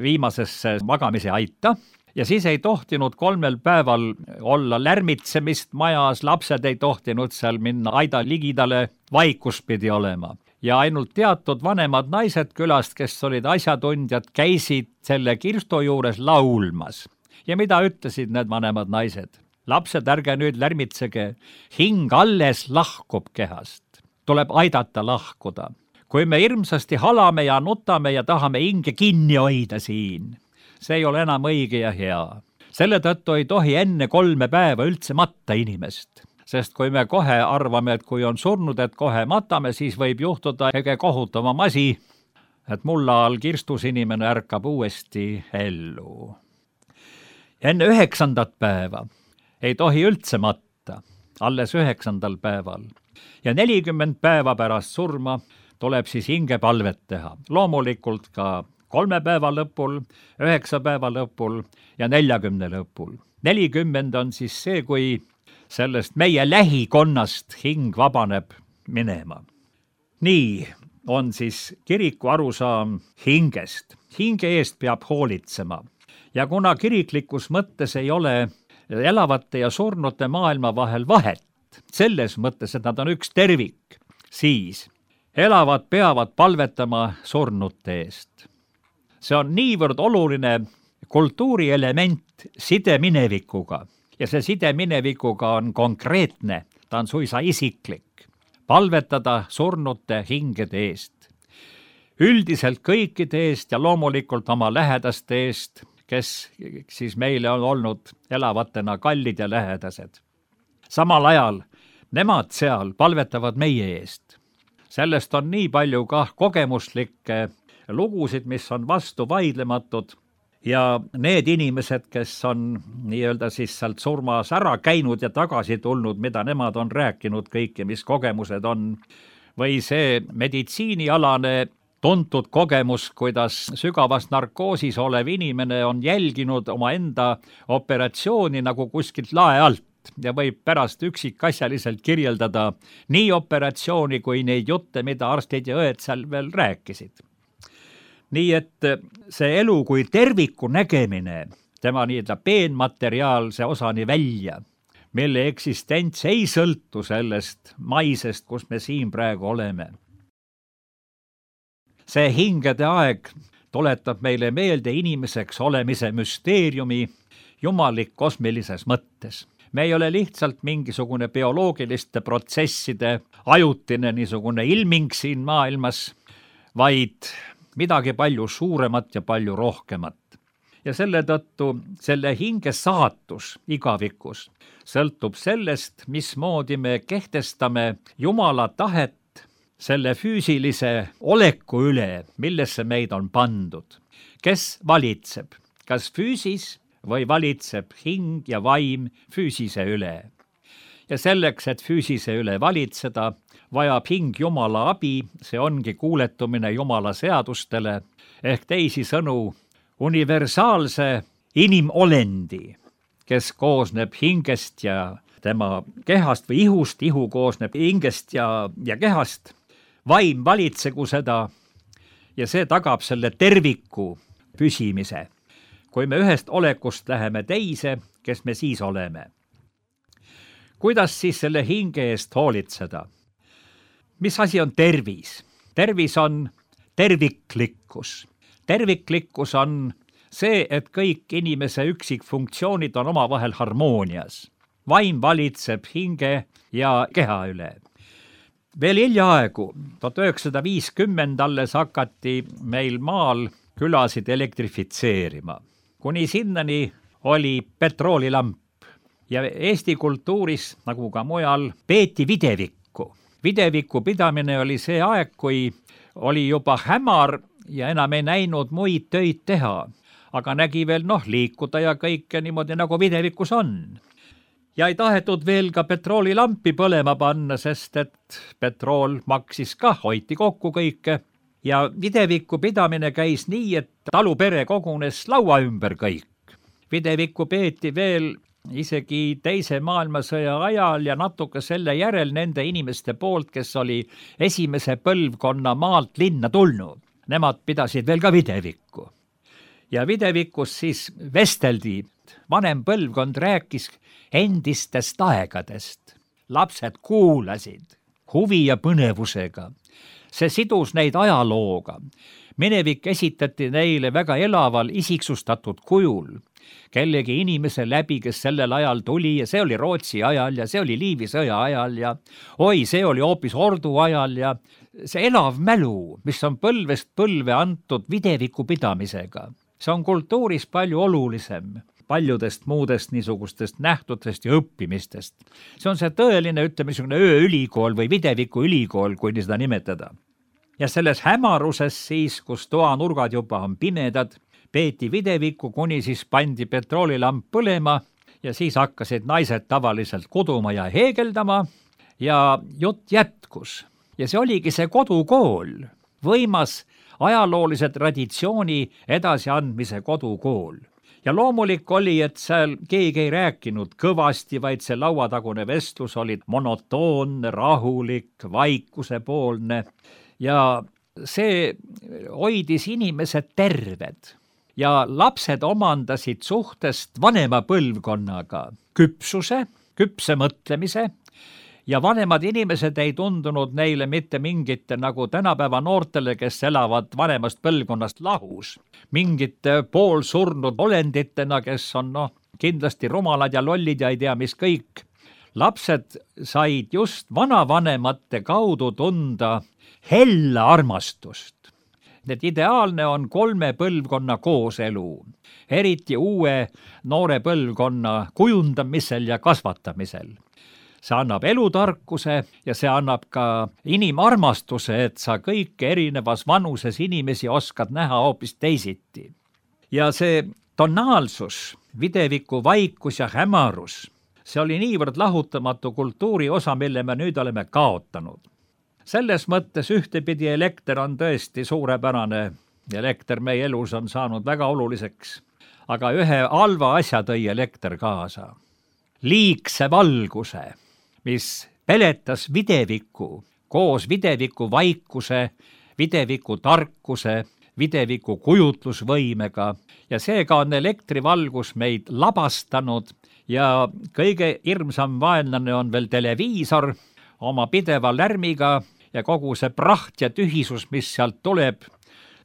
viimasesse magamise aita, ja siis ei tohtinud 3 päeval olla lärmitsemist majas, lapsed ei tohtinud seal minna aida ligidale, vaikus pidi olema. Ja ainult teatud vanemad naised külast, kes olid asjatundjad, käisid selle kirstu juures laulmas. Ja mida ütlesid need vanemad naised? Lapsed, ärge nüüd lärmitsege, hing alles lahkub kehast. Tuleb aidata lahkuda. Kui me hirmsasti halame ja nutame ja tahame hinge kinni hoida siin, see ei ole enam õige ja hea. Selle tõttu ei tohi enne 3 päeva üldse matta inimest. Sest kui me kohe arvame, et kui on surnud, et kohe matame, siis võib juhtuda kõige kohutavam asi, et mulla all kirstus inimene ärkab uuesti ellu. Enne 9. päeva ei tohi üldse matta, alles 9. päeval. Ja 40 päeva pärast surma tuleb siis hingepalvet teha. Loomulikult ka 3 päeva lõpul, 9 päeva lõpul ja 40 lõpul. 40 on siis see, kui sellest meie lähikonnast hing vabaneb minema. Nii on siis kiriku arusaam hingest. Hinge eest peab hoolitsema. Ja kuna kiriklikus mõttes ei ole elavate ja surnute maailma vahel vahet, selles mõttes, et nad on üks tervik, siis elavad peavad palvetama surnute eest. See on niivõrd oluline kultuurielement side minevikuga ja see side minevikuga on konkreetne, ta on suisa isiklik. Palvetada surnute hingede eest. Üldiselt kõikide eest ja loomulikult oma lähedaste eest, kes siis meile on olnud elavatena kallid ja lähedased. Samal ajal nemad seal palvetavad meie eest. Sellest on nii palju ka kogemuslikke lugusid, mis on vastu vaidlematud ja need inimesed, kes on nii-öelda siis sealt surmas ära käinud ja tagasi tulnud, mida nemad on rääkinud kõike, mis kogemused on, või see meditsiinialane tuntud kogemus, kuidas sügavas narkoosis olev inimene on jälginud omaenda operatsiooni nagu kuskilt lae alt ja võib pärast üksikasjaliselt kirjeldada nii operatsiooni kui neid jutte, mida arstid ja õed seal veel rääkisid. Nii et see elu kui terviku nägemine, tema nii-öelda peenmateriaalse osani välja, mille eksistents ei sõltu sellest maisest, kus me siin praegu oleme. See hingede aeg tuletab meile meelde inimeseks olemise müsteeriumi jumalik kosmilises mõttes. Me ei ole lihtsalt mingisugune bioloogiliste protsesside ajutine niisugune ilming siin maailmas, vaid midagi palju suuremat ja palju rohkemat. Ja selle tõttu selle hinge saatus igavikus sõltub sellest, mismoodi me kehtestame Jumala tahet selle füüsilise oleku üle, millesse meid on pandud. Kes valitseb? Kas füüsis või valitseb hing ja vaim füüsise üle? Ja selleks, et füüsise üle valitseda, vajab hing Jumala abi, see ongi kuuletumine Jumala seadustele, ehk teisisõnu universaalse inimolendi, kes koosneb hingest ja tema kehast või ihust, ihu koosneb hingest ja kehast, vaim valitsegu seda ja see tagab selle terviku püsimise. Kui me ühest olekust läheme teise, kes me siis oleme? Kuidas siis selle hinge eest hoolitseda? Mis asi on tervis? Tervis on terviklikkus. Terviklikkus on see, et kõik inimese üksikfunktsioonid on omavahel harmoonias. Vaim valitseb hinge ja keha üle. Veel hiljaaegu, 1950 alles hakati meil maal külasid elektrifitseerima. Kuni sinnani oli petroolilamp ja Eesti kultuuris, nagu ka mujal, peeti videvikku. Videviku pidamine oli see aeg, kui oli juba hämar ja enam ei näinud muid töid teha, aga nägi veel liikuda ja kõike niimoodi, nagu videvikus on. Ja ei tahetud veel ka petroolilampi põlema panna, sest et petrool maksis ka, hoiti kokku kõike. ja videviku pidamine käis nii, et talupere kogunes laua ümber kõik. Videvikku peeti veel isegi Teise maailmasõja ajal ja natuke selle järel nende inimeste poolt, kes oli esimese põlvkonna maalt linna tulnud. Nemad pidasid veel ka videvikku. Ja videvikus siis vesteldi, vanem põlvkond rääkis endistest aegadest. Lapsed kuulasid huvi ja põnevusega. See sidus neid ajalooga. Minevik esitati neile väga elaval isiksustatud kujul. Kellegi inimese läbi, kes sellel ajal tuli ja see oli Rootsi ajal ja see oli Liivi sõja ajal ja see oli hoopis Ordu ajal ja see elav mälu, mis on põlvest põlve antud videviku pidamisega. See on kultuuris palju olulisem paljudest muudest niisugustest nähtudest ja õppimistest. See on see tõeline, ütleme, ööülikool või videviku ülikool, kui nii seda nimetada. Ja selles hämaruses siis, kus toanurgad juba on pimedad, peeti videvikku, kuni siis pandi petroolilamp põlema ja siis hakkasid naised tavaliselt kuduma ja heegeldama ja jutt jätkus. Ja see oligi see kodukool, võimas ajaloolise traditsiooni edasiandmise kodukool. Ja loomulik oli, et seal keegi ei rääkinud kõvasti, vaid see lauatagune vestlus oli monotoonne, rahulik, vaikusepoolne ja see hoidis inimesed terved. Ja lapsed omandasid suhtest vanema põlvkonnaga küpse mõtlemise ja vanemad inimesed ei tundunud neile mitte mingite nagu tänapäeva noortele, kes elavad vanemast põlvkonnast lahus, mingite poolsurnud olenditena, kes on kindlasti rumalad ja lollid ja ei tea mis kõik. Lapsed said just vanavanemate kaudu tunda hella armastust. Et ideaalne on 3 põlvkonna kooselu, eriti uue noore põlvkonna kujundamisel ja kasvatamisel. See annab elutarkuse ja see annab ka inimarmastuse, et sa kõik erinevas vanuses inimesi oskad näha hoopis teisiti. Ja see tonaalsus, videviku vaikus ja hämarus, see oli niivõrd lahutamatu kultuuri osa, mille me nüüd oleme kaotanud. Selles mõttes ühtepidi elekter on tõesti suurepärane. Elekter meie elus on saanud väga oluliseks, aga ühe halva asja tõi elekter kaasa. Liigse valguse, mis peletas videviku koos videviku vaikuse, videviku tarkuse, videviku kujutlusvõimega ja seega on elektrivalgus meid labastanud ja kõige hirmsam vaenlane on veel televiisor oma pideva lärmiga ja kogu see praht ja tühisus, mis sealt tuleb.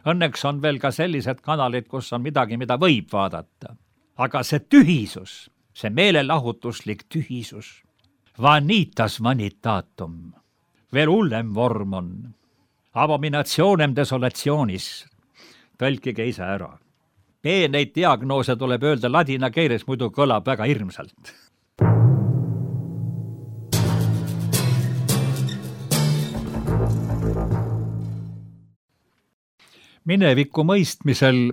Õnneks on veel ka sellised kanalid, kus on midagi, mida võib vaadata. Aga see tühisus, see meelelahutuslik tühisus, vanitas vanitatum, veel hullem vorm on, abominationem desolationis, tõlkige ise ära. Neid diagnoose tuleb öelda ladina keeles, muidu kõlab väga hirmsalt. Mineviku mõistmisel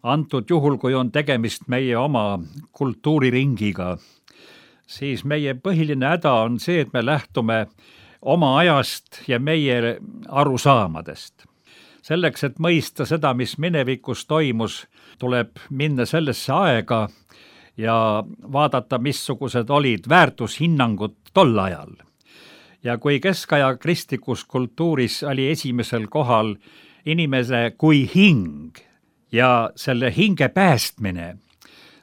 antud juhul, kui on tegemist meie oma kultuuriringiga, siis meie põhiline häda on see, et me lähtume oma ajast ja meie arusaamadest. Selleks, et mõista seda, mis minevikus toimus, tuleb minna sellesse aega ja vaadata, missugused olid väärtushinnangud tol ajal. Ja kui keskaja kristlikus kultuuris oli esimesel kohal inimese kui hing ja selle hinge päästmine,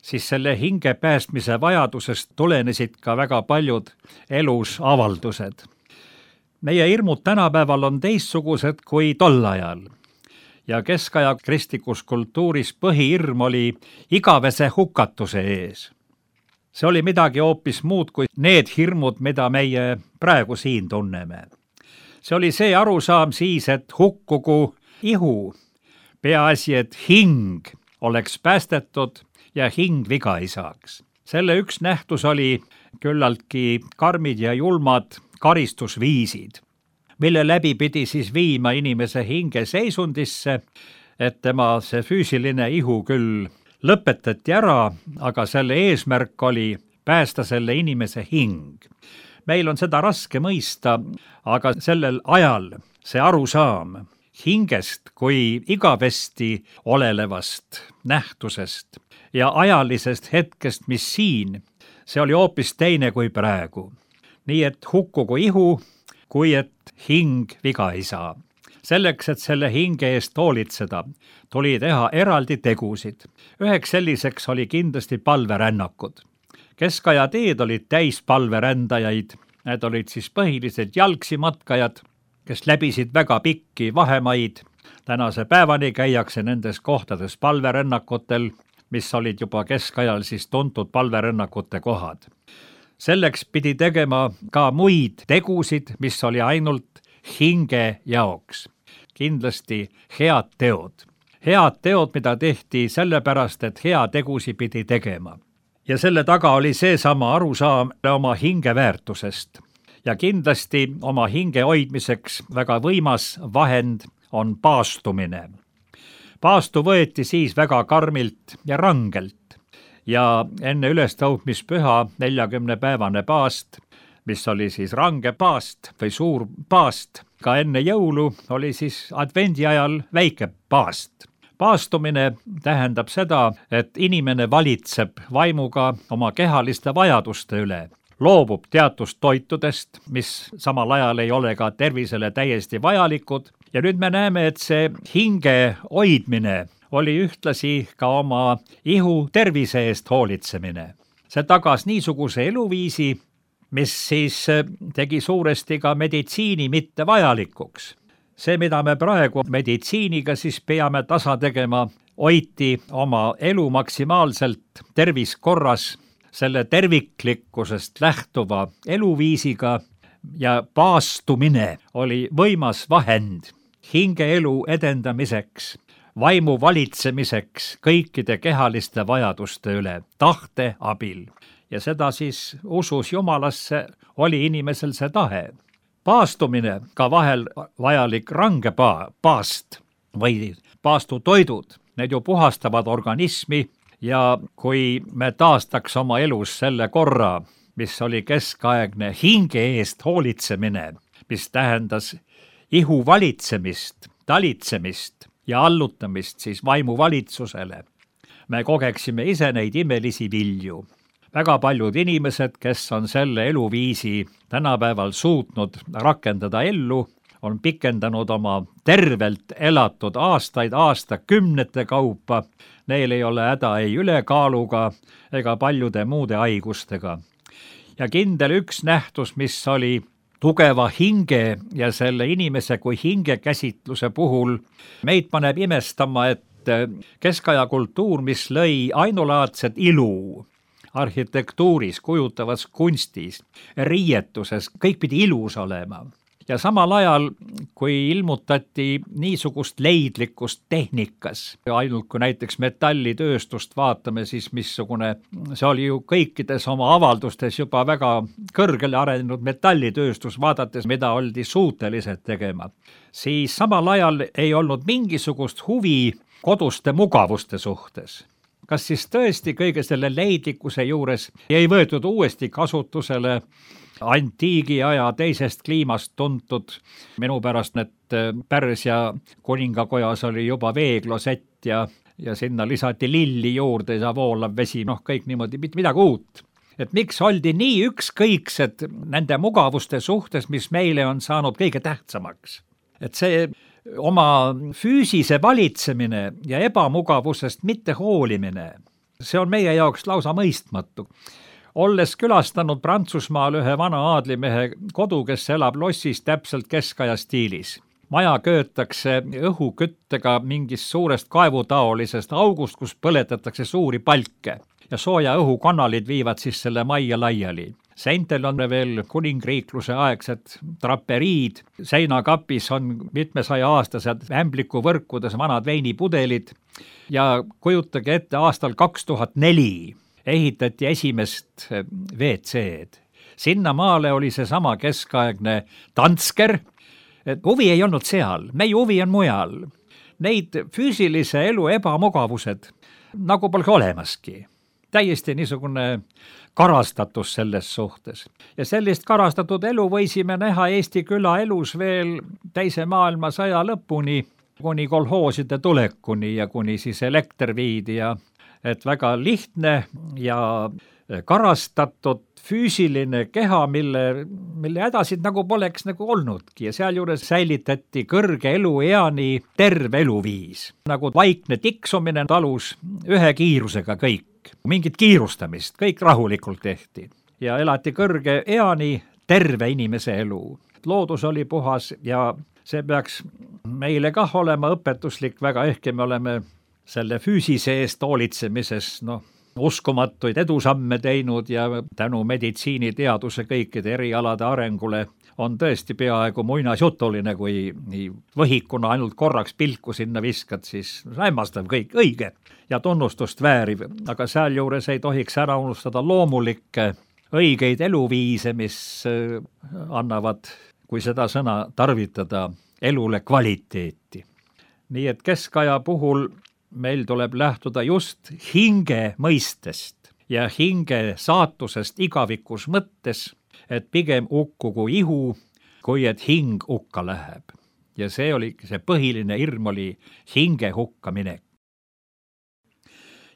siis selle hinge päästmise vajadusest tulenesid ka väga paljud elus avaldused. Meie hirmud tänapäeval on teistsugused kui tol ajal ja keskaja kristlikus kultuuris põhihirm oli igavese hukatuse ees. See oli midagi hoopis muud kui need hirmud, mida meie praegu siin tunneme. See oli see arusaam siis, et hukkugu ihu, peaasi, et hing oleks päästetud ja hing viga ei saaks. Selle üks nähtus oli küllaltki karmid ja julmad karistusviisid, mille läbi pidi siis viima inimese hinge seisundisse, et tema see füüsiline ihu küll lõpetati ära, aga selle eesmärk oli päästa selle inimese hing. Meil on seda raske mõista, aga sellel ajal see arusaam hingest kui igavesti olelevast nähtusest ja ajalisest hetkest, mis siin, see oli hoopis teine kui praegu. Nii et hukkugu ihu, kui et hing viga ei saa. Selleks, et selle hinge eest hoolitseda, tuli teha eraldi tegusid. Üheks selliseks oli kindlasti palverännakud. Keskaja teed olid täis palverändajaid. Need olid siis põhiliselt jalgsi matkajad, kes läbisid väga pikki vahemaid. Tänase päevani käiakse nendes kohtades palverännakutel, mis olid juba keskajal siis tuntud palverännakute kohad. Selleks pidi tegema ka muid tegusid, mis oli ainult hinge jaoks. Kindlasti head teod. Head teod, mida tehti sellepärast, et hea tegusi pidi tegema. Ja selle taga oli seesama arusaam oma hinge väärtusest. Ja kindlasti oma hinge hoidmiseks väga võimas vahend on paastumine. Paastu võeti siis väga karmilt ja rangelt. Ja enne ülestõusmispüha 40-päevane paast, mis oli siis range paast või suur paast, ka enne jõulu oli siis advendi ajal väike paast. Paastumine tähendab seda, et inimene valitseb vaimuga oma kehaliste vajaduste üle, loobub teatust toitudest, mis samal ajal ei ole ka tervisele täiesti vajalikud. Ja nüüd me näeme, et see hinge hoidmine oli ühtlasi ka oma ihu tervise eest hoolitsemine. See tagas niisuguse eluviisi, mis siis tegi suuresti ka meditsiini mitte vajalikuks. See, mida me praegu meditsiiniga siis peame tasa tegema, hoiti oma elu maksimaalselt terviskorras, selle terviklikkusest lähtuva eluviisiga ja paastumine oli võimas vahend hingeelu edendamiseks, vaimu valitsemiseks kõikide kehaliste vajaduste üle, tahte abil. Ja seda siis usus Jumalasse oli inimesel see tahe. Paastumine, ka vahel vajalik range paast või paastutoidud, need ju puhastavad organismi ja kui me taastaks oma elus selle korra, mis oli keskaegne hinge eest hoolitsemine, mis tähendas ihu valitsemist, talitsemist ja allutamist siis vaimu valitsusele, me kogeksime ise neid imelisi vilju. Väga paljud inimesed, kes on selle eluviisi tänapäeval suutnud rakendada ellu, on pikendanud oma tervelt elatud aastakümnete kaupa. Neil ei ole häda ei ülekaaluga ega paljude muude haigustega. Ja kindel üks nähtus, mis oli tugeva hinge ja selle inimese kui hinge käsitluse puhul, meid paneb imestama, et keskaja kultuur, mis lõi ainulaadset ilu, arhitektuuris, kujutavas kunstis, riietuses, kõik pidi ilus olema. Ja samal ajal, kui ilmutati niisugust leidlikkust tehnikas, ainult kui näiteks metallitööstust vaatame, siis missugune, see oli ju kõikides oma avaldustes juba väga kõrgele arenenud metallitööstus, vaadates, mida oldi suutelised tegema, siis samal ajal ei olnud mingisugust huvi koduste mugavuste suhtes. Kas siis tõesti kõige selle leidlikkuse juures ei võetud uuesti kasutusele antiigi aja teisest kliimast tuntud, minu pärast need Pärsia kuningakojas oli juba veeklosett ja sinna lisati lilli juurde ja voolav vesi, kõik niimoodi, midagi uut. Et miks oldi nii ükskõiksed nende mugavuste suhtes, mis meile on saanud kõige tähtsamaks? Et see oma füüsise valitsemine ja ebamugavusest mitte hoolimine, see on meie jaoks lausa mõistmatu. Olles külastanud Prantsusmaal ühe vana aadlimehe kodu, kes elab lossis täpselt keskaja stiilis. Maja köötakse õhuküttega mingist suurest kaevutaolisest august, kus põletatakse suuri palke ja sooja õhukanalid viivad siis selle majja laiali. Seintel on veel kuningriikluse aegsed traperiid, seinakapis on mitmesaja aastased ämblikuvõrkudes vanad veinipudelid ja kujutage ette, aastal 2004 ehitati esimest WC-d. Sinna maale oli seesama keskaegne tantsker, et huvi ei olnud seal, meie huvi on mujal. Neid füüsilise elu ebamugavused nagu polegi olemaski. täiesti niisugune karastatus selles suhtes. Ja sellist karastatud elu võisime näha Eesti külaelus veel teise maailmasõja lõpuni, kuni kolhooside tulekuni ja kuni siis elekter viidi ja et väga lihtne ja karastatud füüsiline keha, mille hädasid nagu poleks nagu olnudki ja sealjuures säilitati kõrge elueani terve eluviis. Nagu vaikne tiksumine talus ühe kiirusega kõik. Mingit kiirustamist, kõik rahulikult tehti ja elati kõrge eani terve inimese elu. Loodus oli puhas ja see peaks meile kah olema õpetuslik väga, ehkki me oleme selle füüsise eest hoolitsemises uskumatuid edusamme teinud ja tänu meditsiiniteaduse kõikide erialade arengule on tõesti peaaegu muinasjutuline, kui nii võhikuna ainult korraks pilku sinna viskad, siis hämmastav kõik õige ja tunnustust vääriv, aga sealjuures ei tohiks ära unustada loomulikke õigeid eluviise, mis annavad, kui seda sõna tarvitada, elule kvaliteeti. Nii et keskaja puhul meil tuleb lähtuda just hinge mõistest ja hinge saatusest igavikus mõttes, et pigem ukkugu ihu, kui et hing hukka läheb. Ja see oli see põhiline hirm oli hinge hukkaminek.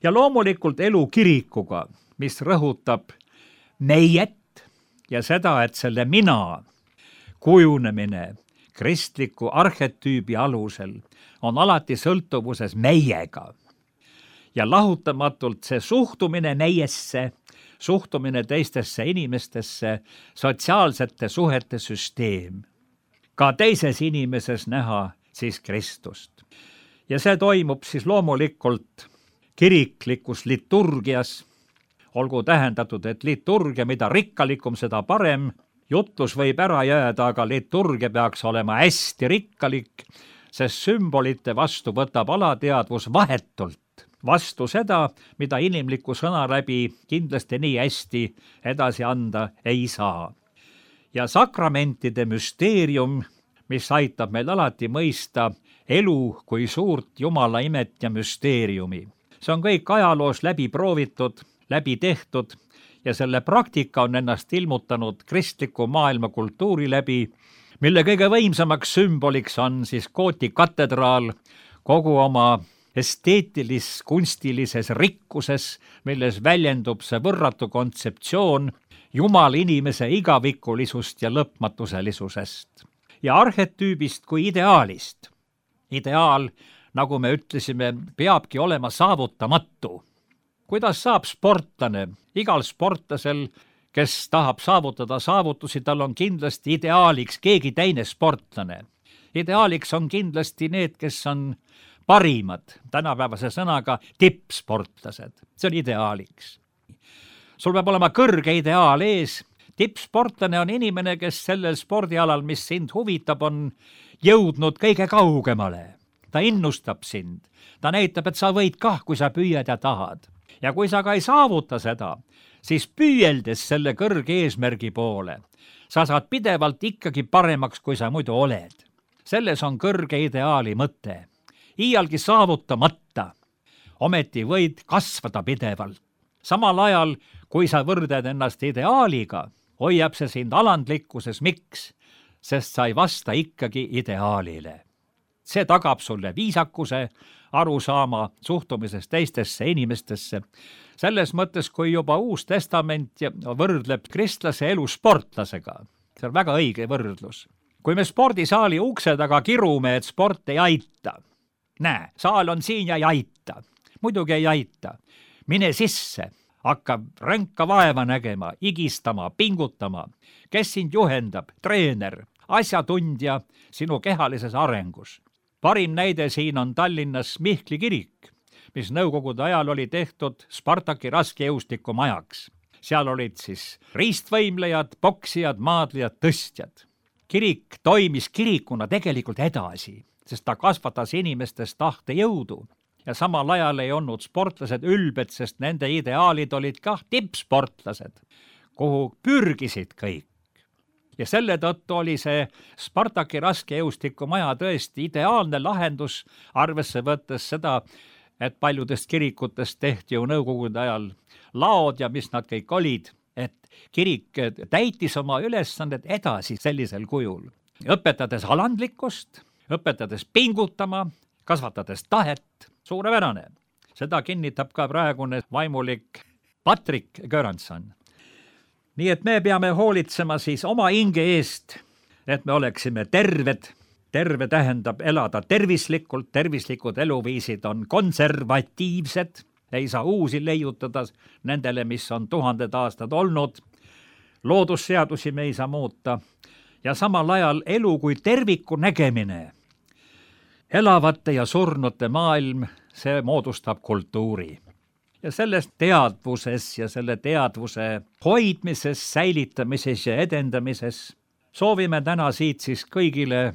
Ja loomulikult elu kirikuga, mis rõhutab meiet ja seda, et selle mina kujunemine kristliku arhetüübi alusel on alati sõltuvuses meiega. Ja lahutamatult see suhtumine meiesse, suhtumine teistesse inimestesse, sotsiaalsete suhete süsteem. Ka teises inimeses näha siis Kristust. Ja see toimub siis loomulikult kiriklikus liturgias. Olgu tähendatud, et liturgia, mida rikkalikum, seda parem. Jutlus võib ära jääda, aga liturgia peaks olema hästi rikkalik, sest sümbolite vastu võtab alateadvus vahetult vastu seda, mida inimliku sõna läbi kindlasti nii hästi edasi anda ei saa. Ja sakramentide müsteerium, mis aitab meil alati mõista elu kui suurt Jumala imet ja müsteeriumi. See on kõik ajaloos läbi proovitud, läbi tehtud ja selle praktika on ennast ilmutanud kristliku maailma kultuuri läbi, mille kõige võimsamaks sümboliks on siis Gooti katedraal kogu oma esteetilis-kunstilises rikkuses, milles väljendub see võrratu kontseptsioon Jumala inimese igavikulisust ja lõpmatuselisusest. Ja arhetüübist kui ideaalist. Ideaal, nagu me ütlesime, peabki olema saavutamatu. Kuidas saab sportlane? Igal sportlasel, kes tahab saavutada saavutusi, tal on kindlasti ideaaliks keegi teine sportlane. Ideaaliks on kindlasti need, kes on parimad, tänapäevase sõnaga tippsportlased. See on ideaaliks. Sul peab olema kõrge ideaal ees. Tippsportlane on inimene, kes sellel spordialal, mis sind huvitab, on jõudnud kõige kaugemale. Ta innustab sind. Ta näitab, et sa võid kah, kui sa püüad ja tahad. Ja kui sa ka ei saavuta seda, siis püüeldes selle kõrge eesmärgi poole, sa saad pidevalt ikkagi paremaks, kui sa muidu oled. Selles on kõrge ideaali mõte. Iialgi saavutamata, ometi võid kasvada pidevalt. Samal ajal, kui sa võrded ennast ideaaliga, hoiab see sind alandlikkuses. Miks? Sest sa ei vasta ikkagi ideaalile. See tagab sulle viisakuse, arusaama suhtumisest teistesse inimestesse. Selles mõttes, kui juba Uus Testament võrdleb kristlase elu sportlasega. See on väga õige võrdlus. Kui me spordisaali ukse taga kirume, et sport ei aita. Näe, saal on siin ja ei aita. Muidugi ei aita. Mine sisse, hakkab ränka vaeva nägema, igistama, pingutama. Kes sind juhendab? Treener, asjatundja sinu kehalises arengus. Parim näide siin on Tallinnas Mihkli kirik, mis nõukogude ajal oli tehtud Spartaki raskejõustiku majaks. Seal olid siis riistvõimlejad, poksijad, maadlijad, tõstjad. Kirik toimis kirikuna tegelikult edasi, sest ta kasvatas inimestes tahtejõudu ja samal ajal ei olnud sportlased ülbed, sest nende ideaalid olid kah tippsportlased, kuhu pürgisid kõik. Ja selle tõttu oli see Spartaki raskejõustiku maja tõesti ideaalne lahendus, arvesse võttes seda et paljudest kirikutest tehti ju nõukogude ajal laod ja mis nad kõik olid, et kirik täitis oma ülesandet edasi sellisel kujul, õpetades alandlikkust, õpetades pingutama, kasvatades tahet, suurepärane. Seda kinnitab ka praegune vaimulik Patrik Göransson. Nii et me peame hoolitsema siis oma hinge eest, et me oleksime terved. Terve tähendab elada tervislikult, tervislikud eluviisid on konservatiivsed, ei saa uusi leiutada nendele, mis on 1000 aastad olnud. Loodusseadusi me ei saa muuta ja samal ajal elu kui terviku nägemine. Elavate ja surnute maailm, see moodustab kultuuri. Ja selles teadvuses ja selle teadvuse hoidmises, säilitamises ja edendamises soovime täna siit siis kõigile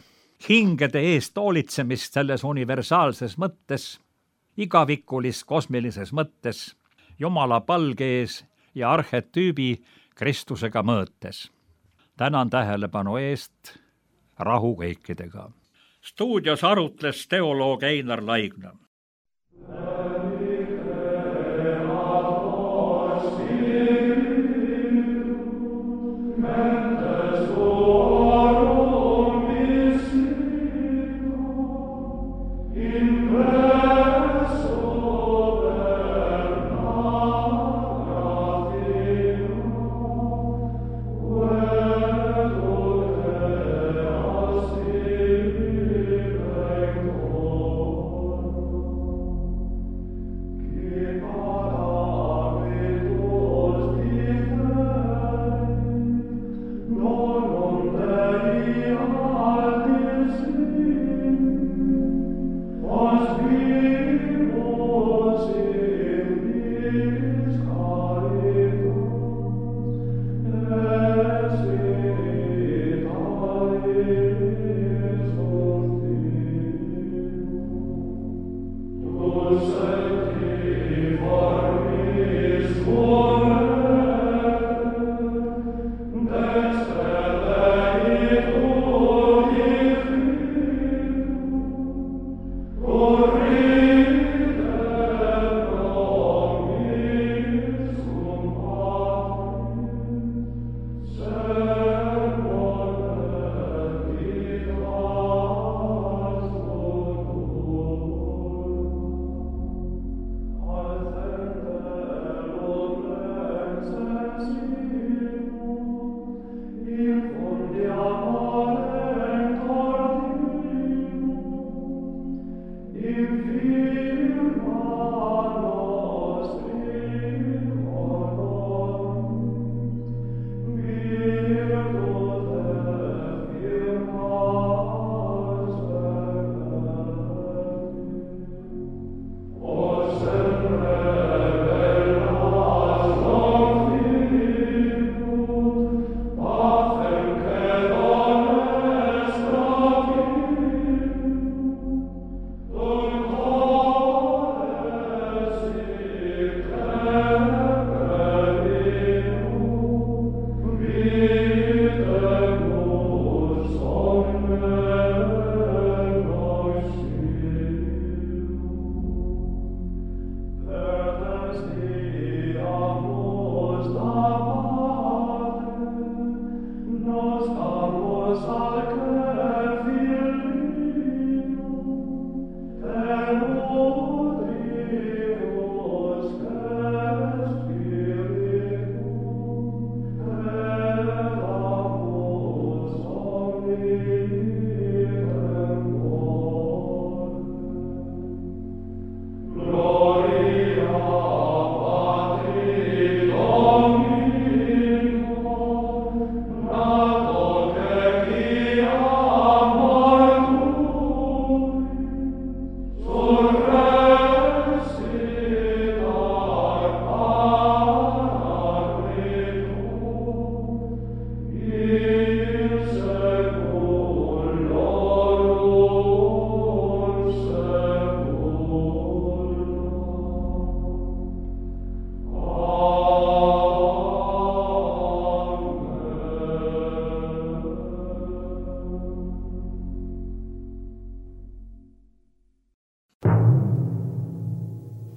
hingede eest hoolitsemist selles universaalses mõttes, igavikulis kosmilises mõttes, Jumala palge ees ja arhetüübi Kristusega mõõtes. Tänan tähelepanu eest, rahu kõikidega. Stuudios arutles teoloog Einar Laigna.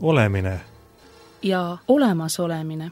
olemine ja olemasolemine.